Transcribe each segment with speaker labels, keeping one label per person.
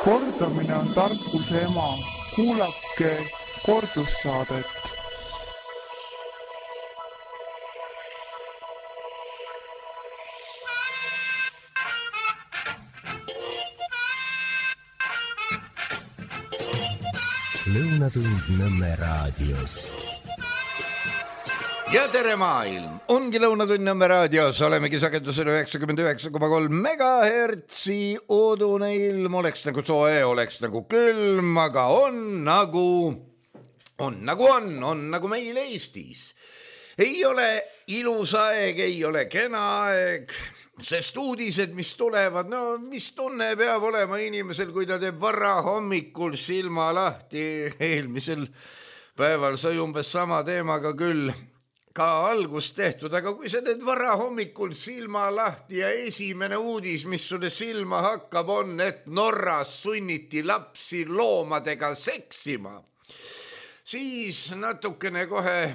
Speaker 1: Kordamine on tarkuse ema. Kuulake kordussaadet.
Speaker 2: Lõunatund Nõmme raadios.
Speaker 3: Ja tere maailm! Ongi Lõunatund Nõmme raadios. Olemegi sagedusel 99,3 megahertsi. Udune ilm oleks nagu soe, oleks nagu külm, aga on nagu meil Eestis. Ei ole ilus aeg, ei ole kena aeg, sest uudised, mis tulevad, no mis tunne peab olema inimesel, kui ta teeb vara hommikul silma lahti. Eelmisel päeval sai umbes sama teemaga küll ka algust tehtud, aga kui sa teed vara hommikul silma lahti ja esimene uudis, mis sulle silma hakkab, on, et Norras sunniti lapsi loomadega seksima, siis natukene kohe,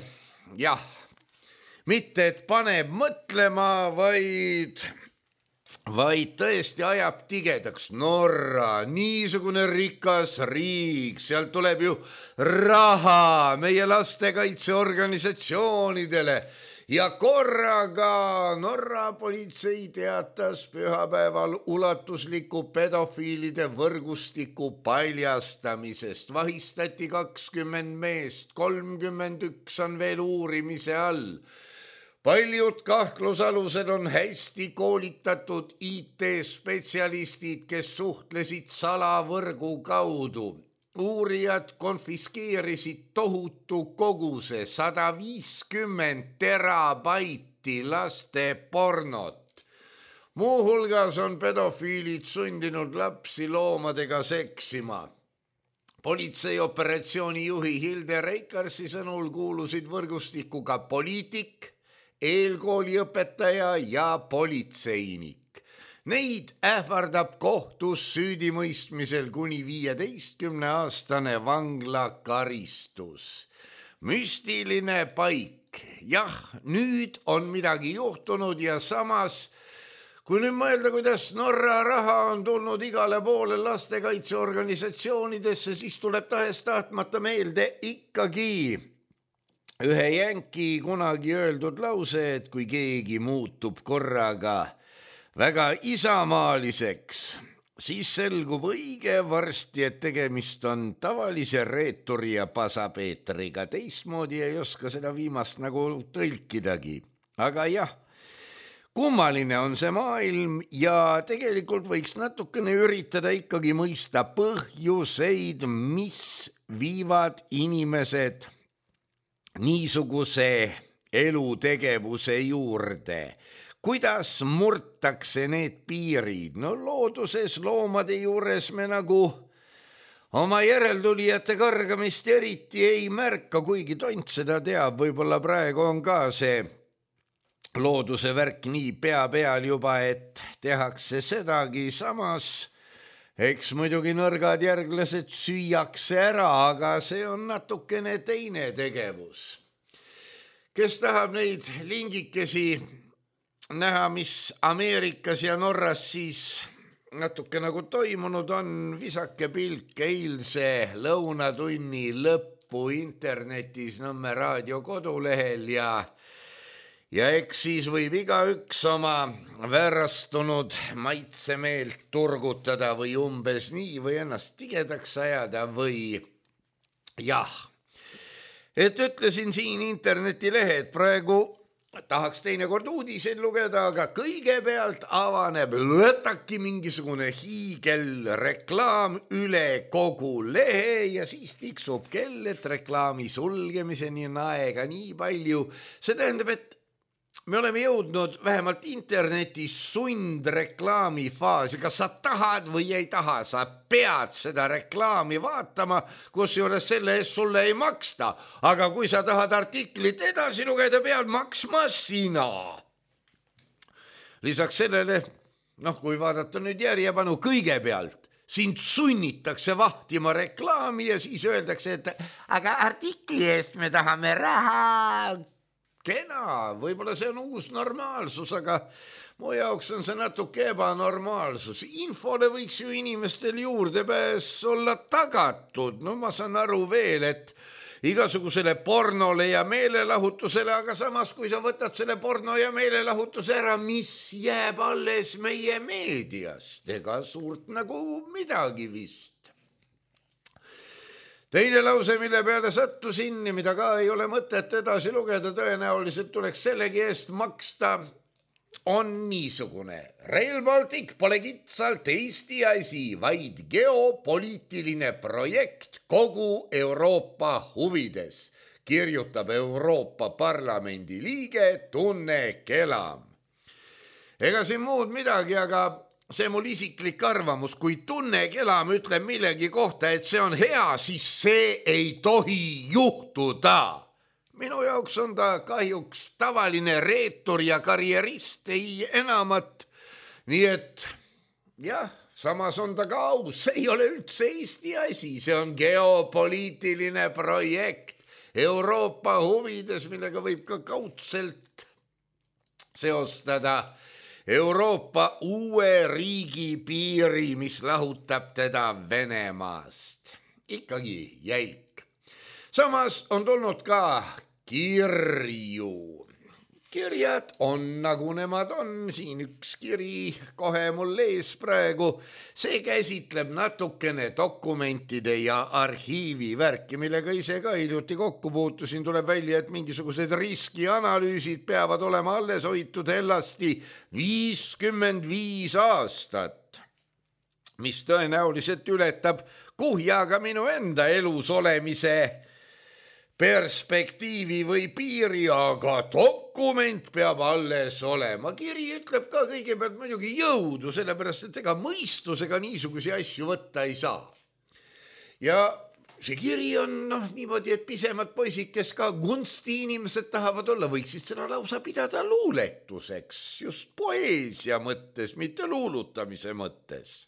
Speaker 3: jah, mitte et paneb mõtlema, vaid tõesti ajab tigedaks. Norra, niisugune rikas riik, sealt tuleb ju raha meie lastekaitseorganisatsioonidele ja korraga Norra politsei teatas pühapäeval ulatusliku pedofiilide võrgustiku paljastamisest. Vahistati 20 meest, 31 on veel uurimise all. Paljud kahtlusalused on hästi koolitatud IT-spetsialistid, kes suhtlesid salavõrgu kaudu. Uurijad konfiskeerisid tohutu koguse 150 terabaiti laste pornot. Muuhulgas on pedofiilid sundinud lapsi loomadega seksima. Politsei operatsiooni juhi Hilde Reikarsi sõnul kuulusid võrgustikuga poliitik, eelkooliõpetaja ja politseinik. Neid ähvardab kohtus süüdimõistmisel kuni 15-aastane vanglakaristus. Müstiline paik. Jah, nüüd on midagi juhtunud ja samas, kui nüüd mõelda, kuidas Norra raha on tulnud igale poole lastekaitseorganisatsioonidesse, siis tuleb tahes tahtmata meelde ikkagi ühe jänki kunagi öeldud lause, et kui keegi muutub korraga väga isamaaliseks, siis selgub õige varsti, et tegemist on tavalise reeturi ja pasapeetriga. Teistmoodi ei oska seda viimast nagu tõlkidagi. Aga jah, kummaline on see maailm ja tegelikult võiks natukene üritada ikkagi mõista põhjuseid, mis viivad inimesed niisuguse elutegevuse juurde. Kuidas murtakse need piirid? No looduses loomade juures me nagu oma järeltulijate kargamist eriti ei märka, kuigi tont seda teab. Võib-olla praegu on ka see looduse värk nii pea peal juba, et tehakse sedagi. Samas eks muidugi nõrgad järglased süüakse ära, aga see on natukene teine tegevus. Kes tahab neid lingikesi näha, mis Ameerikas ja Norras siis natuke nagu toimunud on, visake pilk eilse lõunatunni lõppu internetis Nõmme raadio kodulehel ja eks siis võib igaüks oma väärastunud maitsemeelt turgutada või umbes nii või ennast tigedaks ajada või jah. Et ütlesin siin internetilehed, praegu tahaks teinekord uudiseid lugeda, aga kõigepealt avaneb lõtaki mingisugune hiigelreklaam üle kogu lehe ja siis tiksub kell, et reklaami sulgemiseni on aega nii palju. See tähendab, et me oleme jõudnud vähemalt internetis sundreklaami faasi. Kas sa tahad või ei taha, sa pead seda reklaami vaatama, kusjuures selle eest sulle ei maksta. Aga kui sa tahad artiklit edasi lugeda, pead maksma sina. Lisaks sellele, kui vaadata nüüd järjepanu kõigepealt, sind sunnitakse vahtima reklaami ja siis öeldakse, et aga artikli eest me tahame raha. Kena, võib-olla see on uus normaalsus, aga mu jaoks on see natuke ebanormaalsus. Infole võiks ju inimestel juurdepääs olla tagatud. No ma saan aru veel, et igasugusele pornole ja meelelahutusele, aga samas kui sa võtad selle porno ja meelelahutuse ära, mis jääb alles meie meediast? Ega suurt nagu midagi vist. Teine lause, mille peale sattusin ja mida ka ei ole mõtet edasi lugeda, tõenäoliselt tuleks sellegi eest maksta, on niisugune. Rail Baltic pole kitsalt Eesti asi, vaid geopoliitiline projekt kogu Euroopa huvides, kirjutab Euroopa Parlamendi liige Tunne Kelam. Ega siin muud midagi, aga see mul isiklik arvamus, kui Tunne Kelam ütleb millegi kohta, et see on hea, siis see ei tohi juhtuda. Minu jaoks on ta kahjuks tavaline reetur ja karjerist, ei enamat. Nii et jah, samas on ta ka aus, see ei ole üldse Eesti asi, see on geopoliitiline projekt Euroopa huvides, millega võib ka kaudselt seostada Euroopa uue riigi piiri, mis lahutab teda Venemaast. Ikkagi jälk. Samas on tulnud ka kirju. Kirjad on nagu nemad on, siin üks kiri kohe mul ees praegu. See käsitleb natukene dokumentide ja arhiivi värki, millega ise ka hiljuti kokku puutusin. Tuleb välja, et mingisugused riskianalüüsid peavad olema alles hoitud hellasti 55 aastat, mis tõenäoliselt ületab kuhjaga minu enda elus olemise perspektiivi või piiri, aga dokument peab alles olema. Kiri ütleb ka kõigepealt muidugi jõudu, sellepärast et ega mõistusega niisugusi asju võtta ei saa. Ja see kiri on niimoodi, et pisemad poisid, kes ka kunstiinimesed tahavad olla, võiksid seda lausa pidada luuletuseks, just poeesia mõttes, mitte luulutamise mõttes.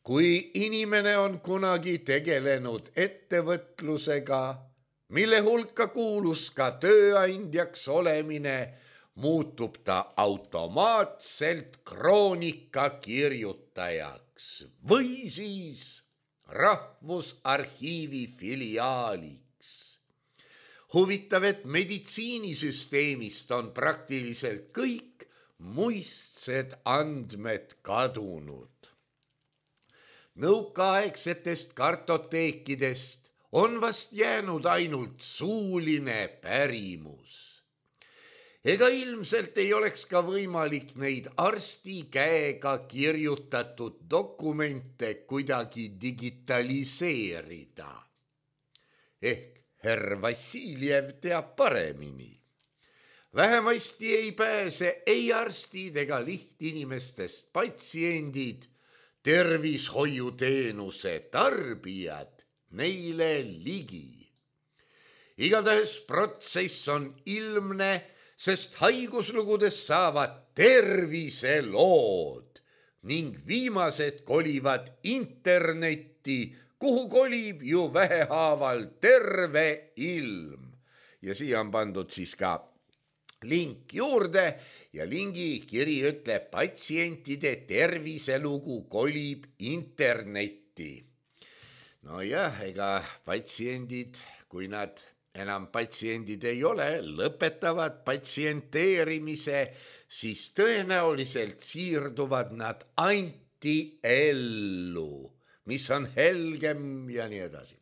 Speaker 3: Kui inimene on kunagi tegelenud ettevõtlusega, mille hulka kuulus ka tööandjaks olemine, muutub ta automaatselt kroonika kirjutajaks või siis Rahvusarhiivi filiaaliks. Huvitav, et meditsiinisüsteemist on praktiliselt kõik muistsed andmed kadunud. Nõukaaegsetest kartoteekidest on vast jäänud ainult suuline pärimus. Ega ilmselt ei oleks ka võimalik neid arsti käega kirjutatud dokumente kuidagi digitaliseerida. Ehk herr Vassiljev teab paremini. Vähemasti ei pääse ei arstid ega lihtinimestest patsiendid, tervishoiuteenuse tarbijad neile ligi. Igatahes protsess on ilmne, sest haiguslugudes saavad terviselood ning viimased kolivad internetti, kuhu kolib ju vähehaaval terve ilm. Ja siia on pandud siis ka link juurde ja lingi kiri ütleb, patsientide terviselugu kolib internetti. No jah, ega patsiendid, kui nad enam patsiendid ei ole, lõpetavad patsienteerimise, siis tõenäoliselt siirduvad nad antiellu, mis on helgem ja nii edasi.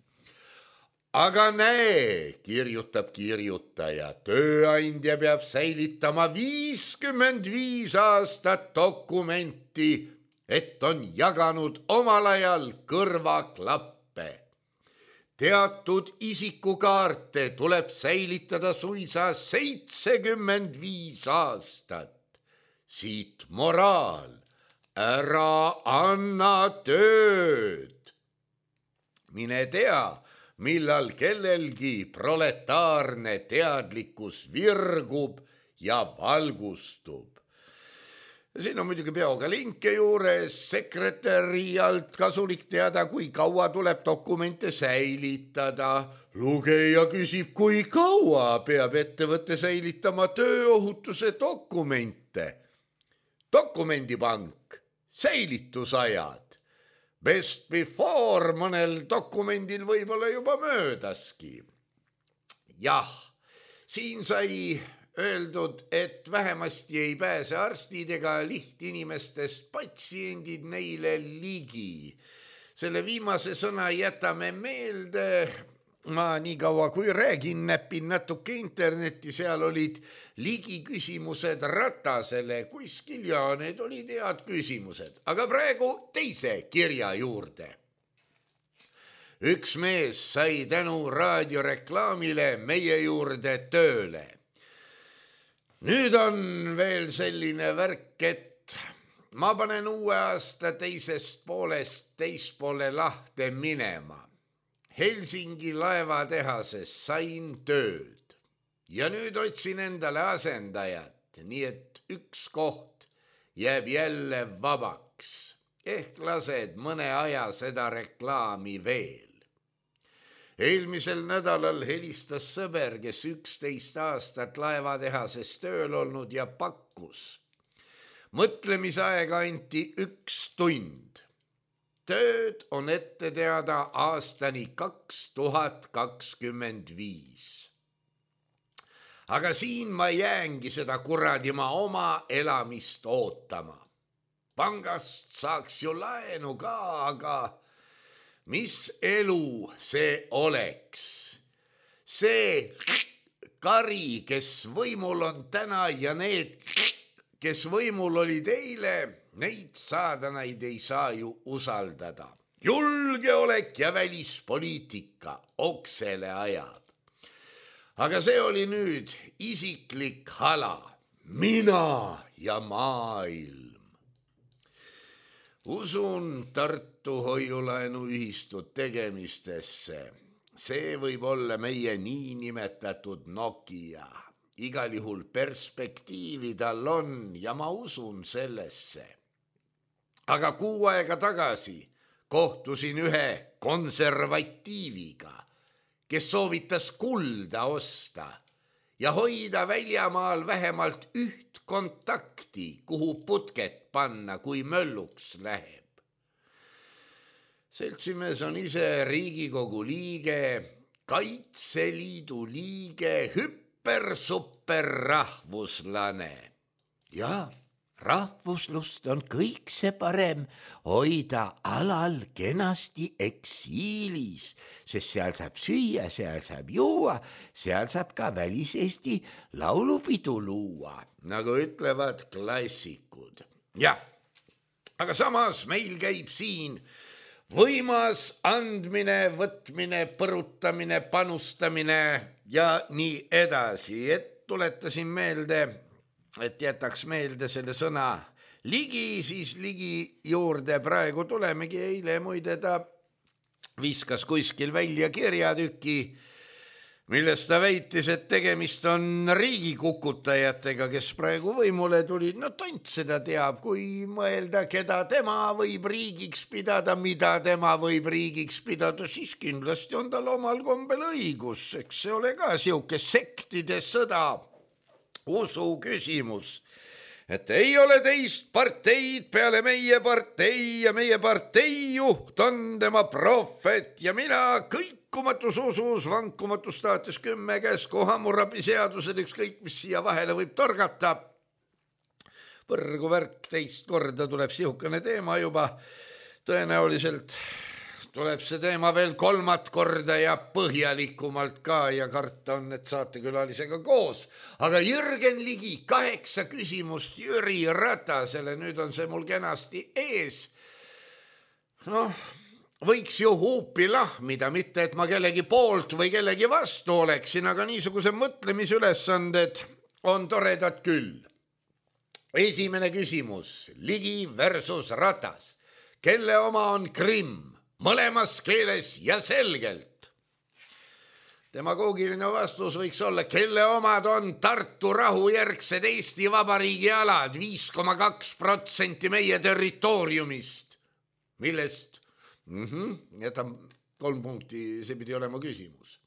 Speaker 3: Aga näe, kirjutab kirjutaja, tööandja peab säilitama 55 aastat dokumenti, et on jaganud omal ajal kõrvaklappe. Teatud isikukaarte tuleb säilitada suisa 75 aastat. Siit moraal, ära anna tööd. Mine tea, millal kellelgi proletaarne teadlikkus virgub ja valgustub. Siin on muidugi peoga linke juures, sekretäri alt kasulik teada, kui kaua tuleb dokumente säilitada. Lugeja küsib, kui kaua peab ettevõte säilitama tööohutuse dokumente. dokumendipank, säilitusajad, best before mõnel dokumendil võib-olla juba möödaski. Jah, siin sai öeldud, et vähemasti ei pääse arstid ega lihtinimestest patsiendid neile ligi. Selle viimase sõna jätame meelde. Ma nii kaua kui räägin, näpin natuke internetti, seal olid ligi küsimused Ratasele kuskil ja need olid head küsimused. Aga praegu teise kirja juurde. Üks mees sai tänu raadioreklaamile meie juurde tööle. Nüüd on veel selline värk, et ma panen uue aasta teisest poolest teispoole lahte minema. Helsingi laevatehases sain tööd ja nüüd otsin endale asendajat, nii et üks koht jääb jälle vabaks. Ehk lased mõne aja seda reklaami veel. Eelmisel nädalal helistas sõber, kes 11 aastat laevatehases tööl olnud ja pakkus. Mõtlemisaega anti 1 tund. Tööd on ette teada aastani 2025. Aga siin ma jäängi seda kuradima oma elamist ootama. Pangast saaks ju laenu ka, aga mis elu see oleks? See kari, kes võimul on täna ja need, kes võimul olid eile, neid saadanaid ei saa ju usaldada. Julgeolek ja välispoliitika oksele ajab. Aga see oli nüüd isiklik hala. Mina ja maailm. Usun Tartu hoiulaenuühistut tegemistesse. See võib olla meie niinimetatud Nokia. Igal juhul perspektiivi tal on ja ma usun sellesse. Aga 6 aega tagasi kohtusin ühe konservatiiviga, kes soovitas kulda osta ja hoida väljamaal vähemalt 1 kontakti, kuhu putket panna, kui mölluks läheb. Seltsimees on ise Riigikogu liige, Kaitseliidu liige, super rahvuslane. Ja rahvuslust on kõik see parem hoida alal kenasti eksiilis, sest seal saab süüa, seal saab juua, seal saab ka väliseesti laulupidu luua, nagu ütlevad klassikud. Jah, aga samas meil käib siin võimas andmine, võtmine, põrutamine, panustamine ja nii edasi, et tuletasin meelde, et jätaks meelde selle sõna ligi, siis ligi juurde praegu tulemegi. Eile muide ta viskas kuskil välja kirjatüki, millest ta väitis, et tegemist on riigikukutajatega, kes praegu võimule tulid. No tont seda teab, kui mõelda, keda tema võib riigiks pidada, mida tema võib riigiks pidada, siis kindlasti on tal omal kombel õigus. Eks see ole ka siuke sektide sõda, usu küsimus, et ei ole teist parteid peale meie partei ja meie partei juht on tema prohvet ja mina kõikumatus usus, vankumatus staatus 10 käsku, Hammurabi seadusel ükskõik, mis siia vahele võib torgata. Põrgu värk, teist korda tuleb sihukene teema juba, tõenäoliselt tuleb see teema veel 3. korda ja põhjalikumalt ka ja karta on, et saatekülalisega koos. Aga Jürgen Ligi, 8 küsimust Jüri Ratasele, nüüd on see mul kenasti ees. Noh, võiks ju huupi lahmida, mitte et ma kellegi poolt või kellegi vastu oleksin, aga niisuguse mõtlemisülesanded on toredad küll. Esimene küsimus, Ligi versus Ratas. Kelle oma on Krimm? Mõlemas keeles ja selgelt. Demagoogiline vastus võiks olla, kelle omad on Tartu rahujärgsed Eesti Vabariigi alad, 5,2% meie territooriumist, millest, jätan 3 punkti, see pidi olema küsimus.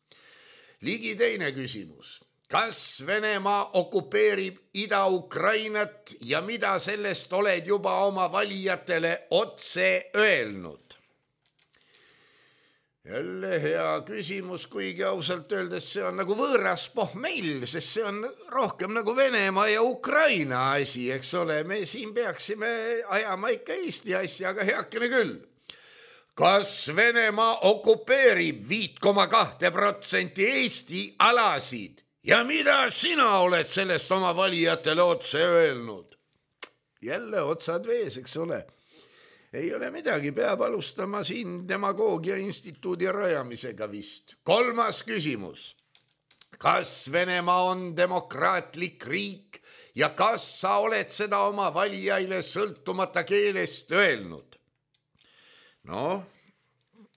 Speaker 3: Ligi teine küsimus, kas Venemaa okupeerib Ida-Ukrainat ja mida sellest oled juba oma valijatele otse öelnud? Jälle hea küsimus, kuigi ausalt öeldes see on nagu võõras pohmell, sest see on rohkem nagu Venemaa ja Ukraina asi, eks ole. Me siin peaksime ajama ikka Eesti asja, aga heakene küll. Kas Venemaa okupeerib 5,2% Eesti alasid ja mida sina oled sellest oma valijatele otse öelnud? Jälle otsad vees, eks ole. Ei ole midagi, peab alustama siin demagoogia instituudi rajamisega vist. 3. küsimus. Kas Venemaa on demokraatlik riik ja kas sa oled seda oma valijaile sõltumata keelest öelnud? No,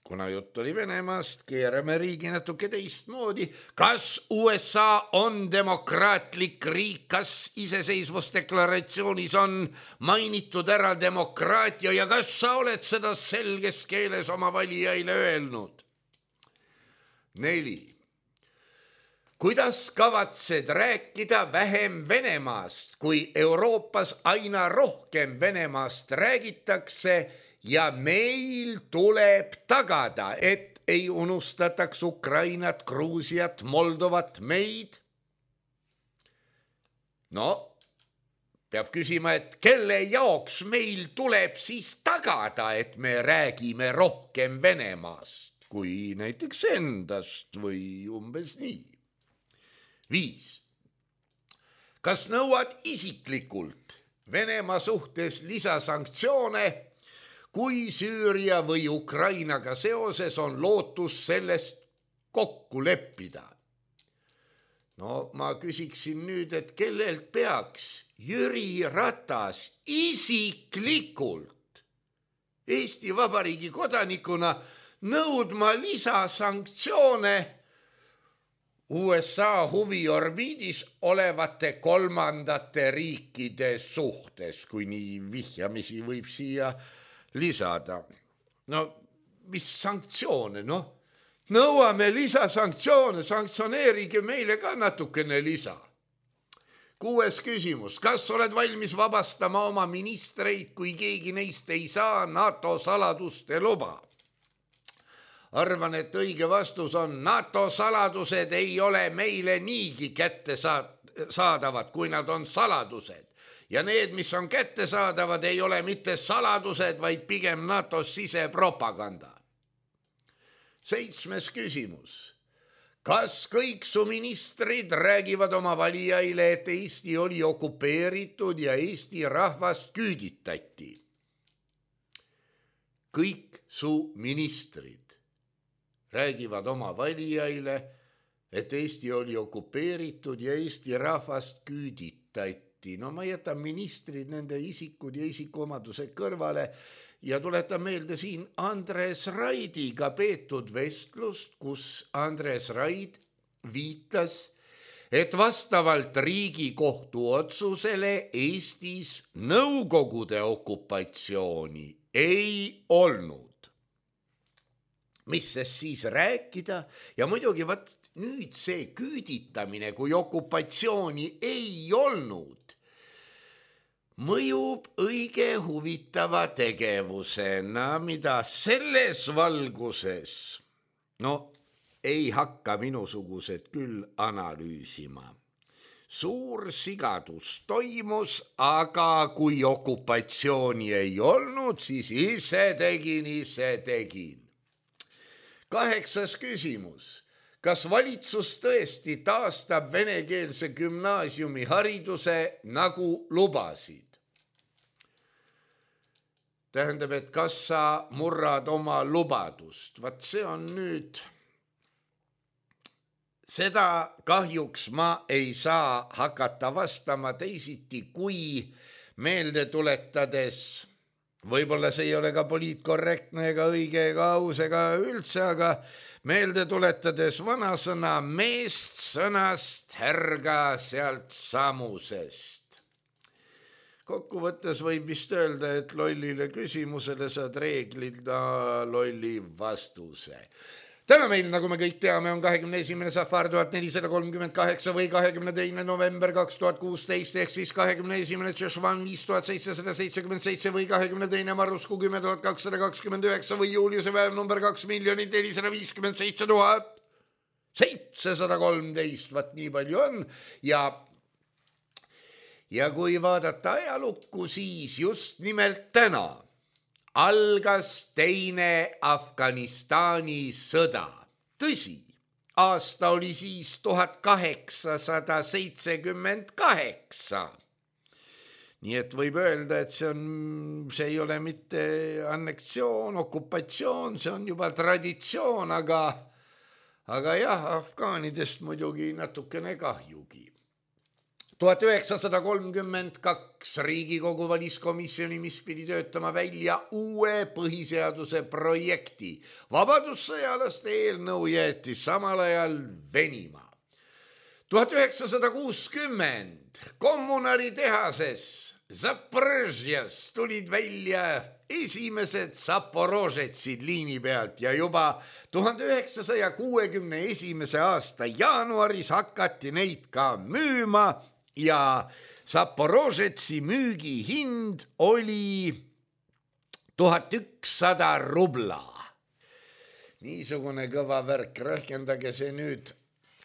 Speaker 3: kuna jutt oli Venemaast, keerame riigi natuke teistmoodi. Kas USA on demokraatlik riik, kas iseseisvusdeklaratsioonis on mainitud ära demokraatia ja kas sa oled seda selges keeles oma valijaile öelnud? 4. Kuidas kavatsed rääkida vähem Venemaast, kui Euroopas aina rohkem Venemaast räägitakse ja meil tuleb tagada, et ei unustataks Ukrainat, Gruusiat, Moldovat, meid? No, peab küsima, et kelle jaoks meil tuleb siis tagada, et me räägime rohkem Venemaast, kui näiteks endast või umbes nii. 5. Kas nõuad isiklikult Venemaa suhtes lisasanktsioone, kui Süüria või Ukrainaga seoses on lootus sellest kokku leppida? No ma küsiksin nüüd, et kellelt peaks Jüri Ratas isiklikult Eesti Vabariigi kodanikuna nõudma lisasanktsioone USA huviorbiidis olevate kolmandate riikide suhtes, kui nii vihjamisi võib siia lisada. No, mis sanktsioone, noh? Nõuame lisasanktsioone, sanktsioneerige meile ka natukene lisa. 6. küsimus. Kas oled valmis vabastama oma ministreid, kui keegi neist ei saa NATO saladuste luba? Arvan, et õige vastus on NATO saladused ei ole meile niigi kätte saadavad, kui nad on saladused. Ja need, mis on kättesaadavad, ei ole mitte saladused, vaid pigem NATO sisepropaganda. 7. küsimus. Kas kõik su ministrid räägivad oma valijaile, et Eesti oli okupeeritud ja Eesti rahvast küüditati? Kõik su ministrid räägivad oma valijaile, et Eesti oli okupeeritud ja Eesti rahvast küüditati. No ma jätan ministrid, nende isikud ja isikuomadused kõrvale ja tuletan meelde siin Andres Raidiga peetud vestlust, kus Andres Raid viitas, et vastavalt Riigikohtu otsusele Eestis Nõukogude okupatsiooni ei olnud. Mis siis rääkida? Ja muidugi nüüd see küüditamine, kui okupatsiooni ei olnud, mõjub õige huvitava tegevusena, mida selles valguses, ei hakka minusugused küll analüüsima. Suur sigadus toimus, aga kui okupatsiooni ei olnud, siis ise tegin. 8. küsimus. Kas valitsus tõesti taastab venekeelse gümnaasiumi hariduse nagu lubasid? Tähendab, et kas sa murrad oma lubadust? Vaat see on nüüd... Seda kahjuks ma ei saa hakata vastama teisiti, kui meelde tuletades, võib-olla see ei ole ka poliitkorrektne ega õige ega aus ega üldse, aga meelde tuletades vanasõna meest sõnast härga sealt samusest. Kokkuvõttes võib vist öelda, et lollile küsimusele saad reeglida lolli vastuse. Täna meil, nagu me kõik teame, on 21. safar 1438 või 22. november 2016 ehk siis 21. Tšešvan 5777 või 22. marrusku 10229 või Juliuse päev number 2 457 713, vaat nii palju on ja kui vaadata ajalukku, siis just nimelt täna algas teine Afganistani sõda. Tõsi, aasta oli siis 1878. Nii et võib öelda, et see ei ole mitte anneksioon, okupatsioon, see on juba traditsioon, aga jah, afgaanidest muidugi natukene kahjugi. 1932 Riigikogu valiskomisjoni, mis pidi töötama välja uue põhiseaduse projekti. Vabadussõjalaste eelnõu jäeti samal ajal venima. 1960 kommunaritehases Zaporižjas tulid välja esimesed Zaporožetsid liini pealt ja juba 1961. aasta jaanuaris hakati neid ka müüma ja Zaporožetsi müügihind oli 1100 rubla. Niisugune kõva värk, rehkendage see nüüd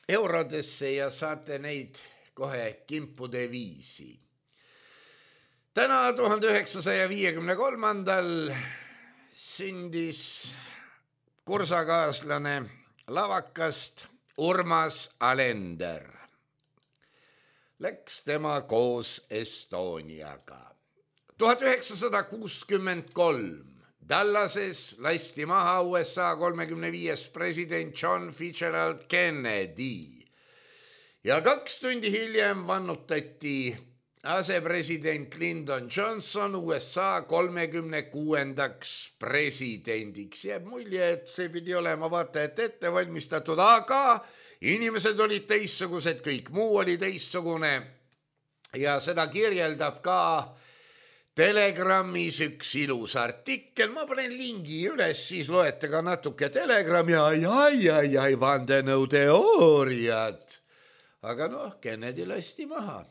Speaker 3: eurodesse ja saate neid kohe kimpude viisi. Täna 1953. sündis kursakaaslane lavakast Urmas Alender. Läks tema koos Estoniaga. 1963 Dallases lasti maha USA 35. president John Fitzgerald Kennedy ja 2 tundi hiljem vannutati asepresident Lyndon Johnson USA 36. presidendiks. Jääb mulje, et see pidi olema vaata et ette valmistatud, aga inimesed olid teissugused, kõik muu oli teissugune ja seda kirjeldab ka Telegrammis üks ilus artikkel. Ma panen lingi üles, siis loete ka natuke Telegrami ja vandenõuteooriad. Aga Kennedy lasti maha.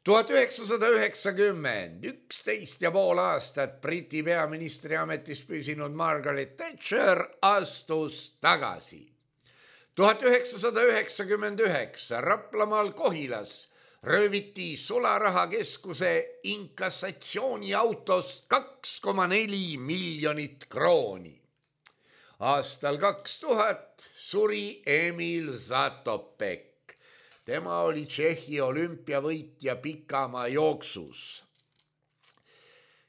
Speaker 3: 1990, 11,5 aastat Briti peaministri ametis püsinud Margaret Thatcher astus tagasi. 1999 Raplamaal Kohilas rööviti sularahakeskuse inkasatsiooniautost 2,4 miljonit krooni. Aastal 2000 suri Emil Zatopek. Tema oli Tšehhi olümpiavõitja pikamaa jooksus.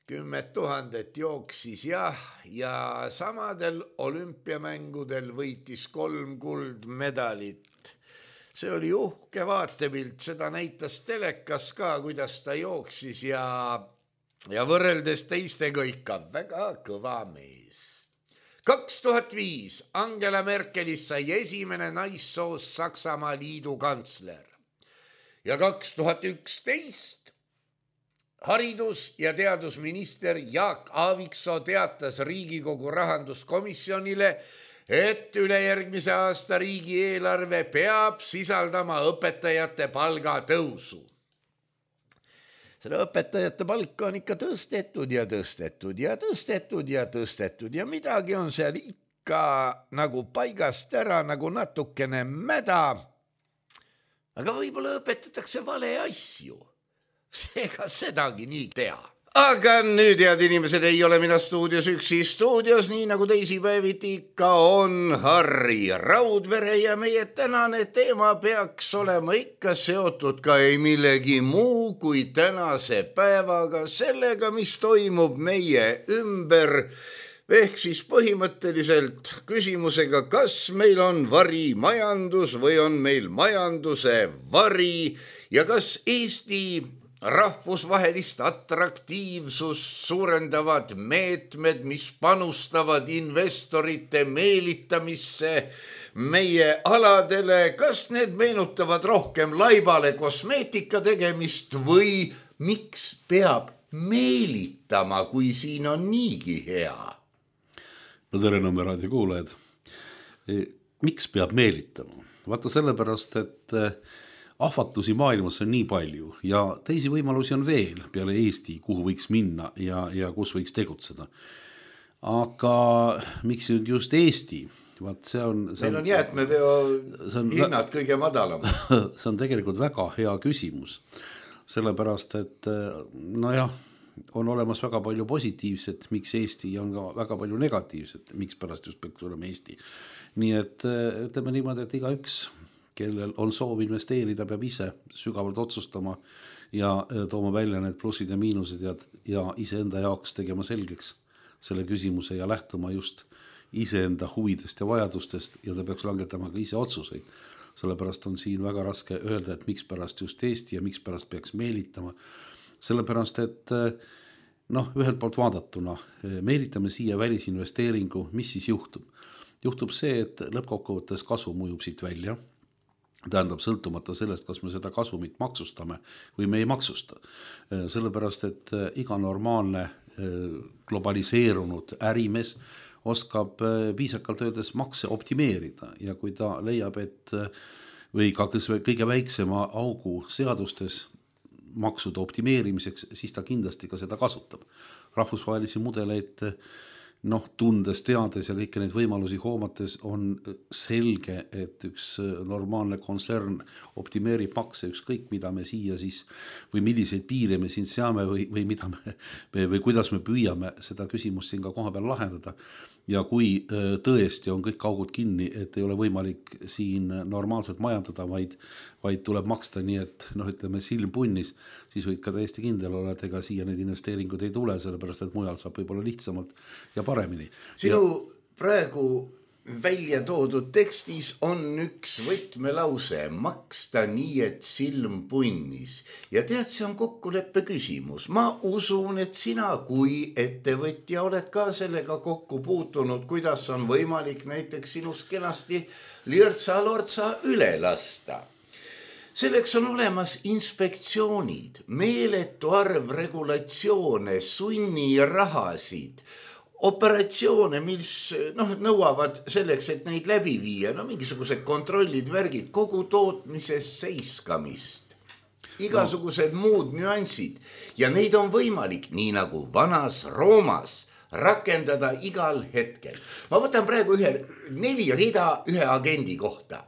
Speaker 3: 10 000 jooksis ja samadel olümpiamängudel võitis 3 kuldmedalit. See oli uhke vaatepilt, seda näitas telekas ka, kuidas ta jooksis ja võrreldes teistega ikka väga kõva mees. 2005 Angela Merkelist sai esimene naissoost Saksamaa liidu kantsler ja 2011 haridus- ja teadusminister Jaak Aaviksoo teatas Riigikogu rahanduskomisjonile, et ülejärgmise aasta riigieelarve peab sisaldama õpetajate palga tõusu. Seda õpetajate palka on ikka tõstetud ja midagi on seal ikka nagu paigast ära, nagu natukene mäda. Aga võib-olla õpetatakse vale asju. Seega sedagi nii tea. Aga nüüd, head inimesed, ei ole mina stuudios üksi. Stuudios, nii nagu teisipäeviti ikka, on Harri Raudvere ja meie tänane teema peaks olema ikka seotud ka ei millegi muu kui tänase päevaga, sellega, mis toimub meie ümber. Ehk siis põhimõtteliselt küsimusega, kas meil on varimajandus või on meil majanduse vari ja kas Eesti rahvusvahelist atraktiivsust suurendavad meetmed, mis panustavad investorite meelitamisse meie aladele, kas need meenutavad rohkem laibale kosmeetika tegemist või miks peab meelitama, kui siin on niigi hea?
Speaker 4: No tere, Nõmme raadio kuulajad. Miks peab meelitama? Vaata sellepärast, et ahvatlusi maailmas on nii palju ja teisi võimalusi on veel peale Eesti, kuhu võiks minna ja kus võiks tegutseda. Aga miks just Eesti? Vaat
Speaker 3: meil on jäätmeveo hinnad kõige madalam.
Speaker 4: See on tegelikult väga hea küsimus. Sellepärast, et on olemas väga palju positiivset, miks Eesti on ka väga palju negatiivset, miks pärast just peaks olema Eesti. Nii et ütleme niimoodi, et igaüks, kellel on soov investeerida, peab ise sügavalt otsustama ja tooma välja need plussid ja miinused ja iseenda jaoks tegema selgeks selle küsimuse ja lähtuma just iseenda huvidest ja vajadustest ja ta peaks langetama ka ise otsuseid. Sellepärast on siin väga raske öelda, et miks pärast just Eesti ja miks pärast peaks meelitama. Sellepärast, et ühelt poolt vaadatuna meelitame siia välisinvesteeringu, mis siis juhtub? Juhtub see, et lõppkokkuvõttes kasu mõjub siit välja. Tähendab sõltumata sellest, kas me seda kasumit maksustame või me ei maksusta. Sellepärast, et iga normaalne globaliseerunud ärimees oskab piisakalt öeldes makse optimeerida ja kui ta leiab, et või ka kõige väiksema augu seadustes maksude optimeerimiseks, siis ta kindlasti ka seda kasutab. Rahvusvahelisi mudeleid tundes, teades ja kõiki neid võimalusi hoomates on selge, et üks normaalne kontsern optimeerib makse ükskõik, mida me siia siis või milliseid piire me siin seame või mida või kuidas me püüame seda küsimust siin ka koha peal lahendada. Ja kui tõesti on kõik augud kinni, et ei ole võimalik siin normaalselt majandada, vaid tuleb maksta nii, et ütleme silm punnis, siis võid ka täiesti kindel olla, et ega siia need investeeringud ei tule, sellepärast et mujal saab võib-olla lihtsamalt ja paremini.
Speaker 3: Sinu praegu välja toodud tekstis on üks võtmelause, maksta nii, et silm punnis. Ja tead, see on kokkuleppe küsimus. Ma usun, et sina kui ettevõtja oled ka sellega kokku puutunud, kuidas on võimalik näiteks sinust kenasti lirtsa-lortsa üle lasta. Selleks on olemas inspektsioonid, meeletu arv regulatsioone, sunnirahasid, operatsioone, mis nõuavad selleks, et neid läbi viia, mingisugused kontrollid, värgid, kogu tootmises seiskamist, igasugused muud nüansid ja neid on võimalik, nii nagu vanas Roomas, rakendada igal hetkel. Ma võtan praegu 4 rida ühe agendi kohta.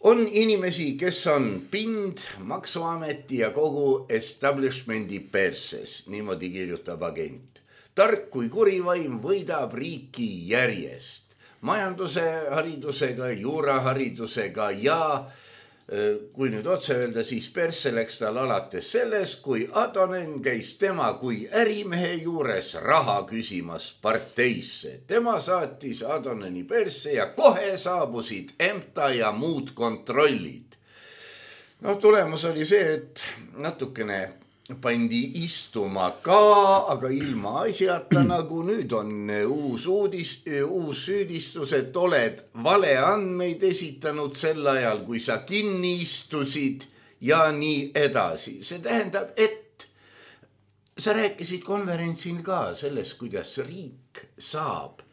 Speaker 3: On inimesi, kes on pind, maksuameti ja kogu establishmendi perses, niimoodi kirjutab agent. Tark kui kurivaim võidab riiki järjest. Majanduse haridusega, juuraharidusega ja kui nüüd otse öelda, siis persse läks tal alates selles, kui Adonen käis tema kui ärimehe juures raha küsimas parteisse. Tema saatis Adoneni persse ja kohe saabusid EMTA ja muud kontrollid. Tulemus oli see, et natukene pandi istuma ka, aga ilma asjata, nagu nüüd on uus süüdistus, et oled valeandmeid esitanud sel ajal, kui sa kinni istusid ja nii edasi. See tähendab, et sa rääkisid konverentsil ka sellest, kuidas riik saab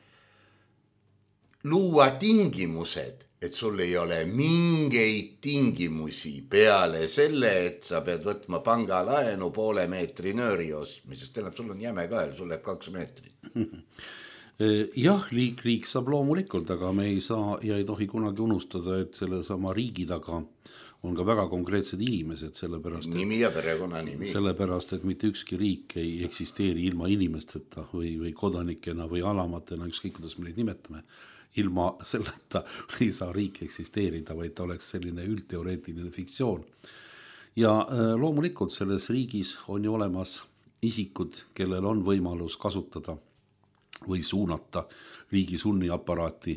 Speaker 3: luua tingimused, et sul ei ole mingeid tingimusi peale selle, et sa pead võtma pangalaenu 0,5 meetri nööri ostmisest. Tähendab, sul on jäme kael, sul läheb 2 meetrit.
Speaker 4: Jah, riik saab loomulikult, aga me ei saa ja ei tohi kunagi unustada, et selle sama riigi taga on ka väga konkreetsed inimesed,
Speaker 3: nimi ja perekonnanimi.
Speaker 4: Sellepärast, et mitte ükski riik ei eksisteeri ilma inimesteta või kodanikena või alamatena, ükskõik kuidas me neid nimetame. Ilma selleta ei saa riik eksisteerida, vaid ta oleks selline üldteoreetiline fiktsioon. Ja loomulikult selles riigis on ju olemas isikud, kellel on võimalus kasutada või suunata riigi sunniaparaati.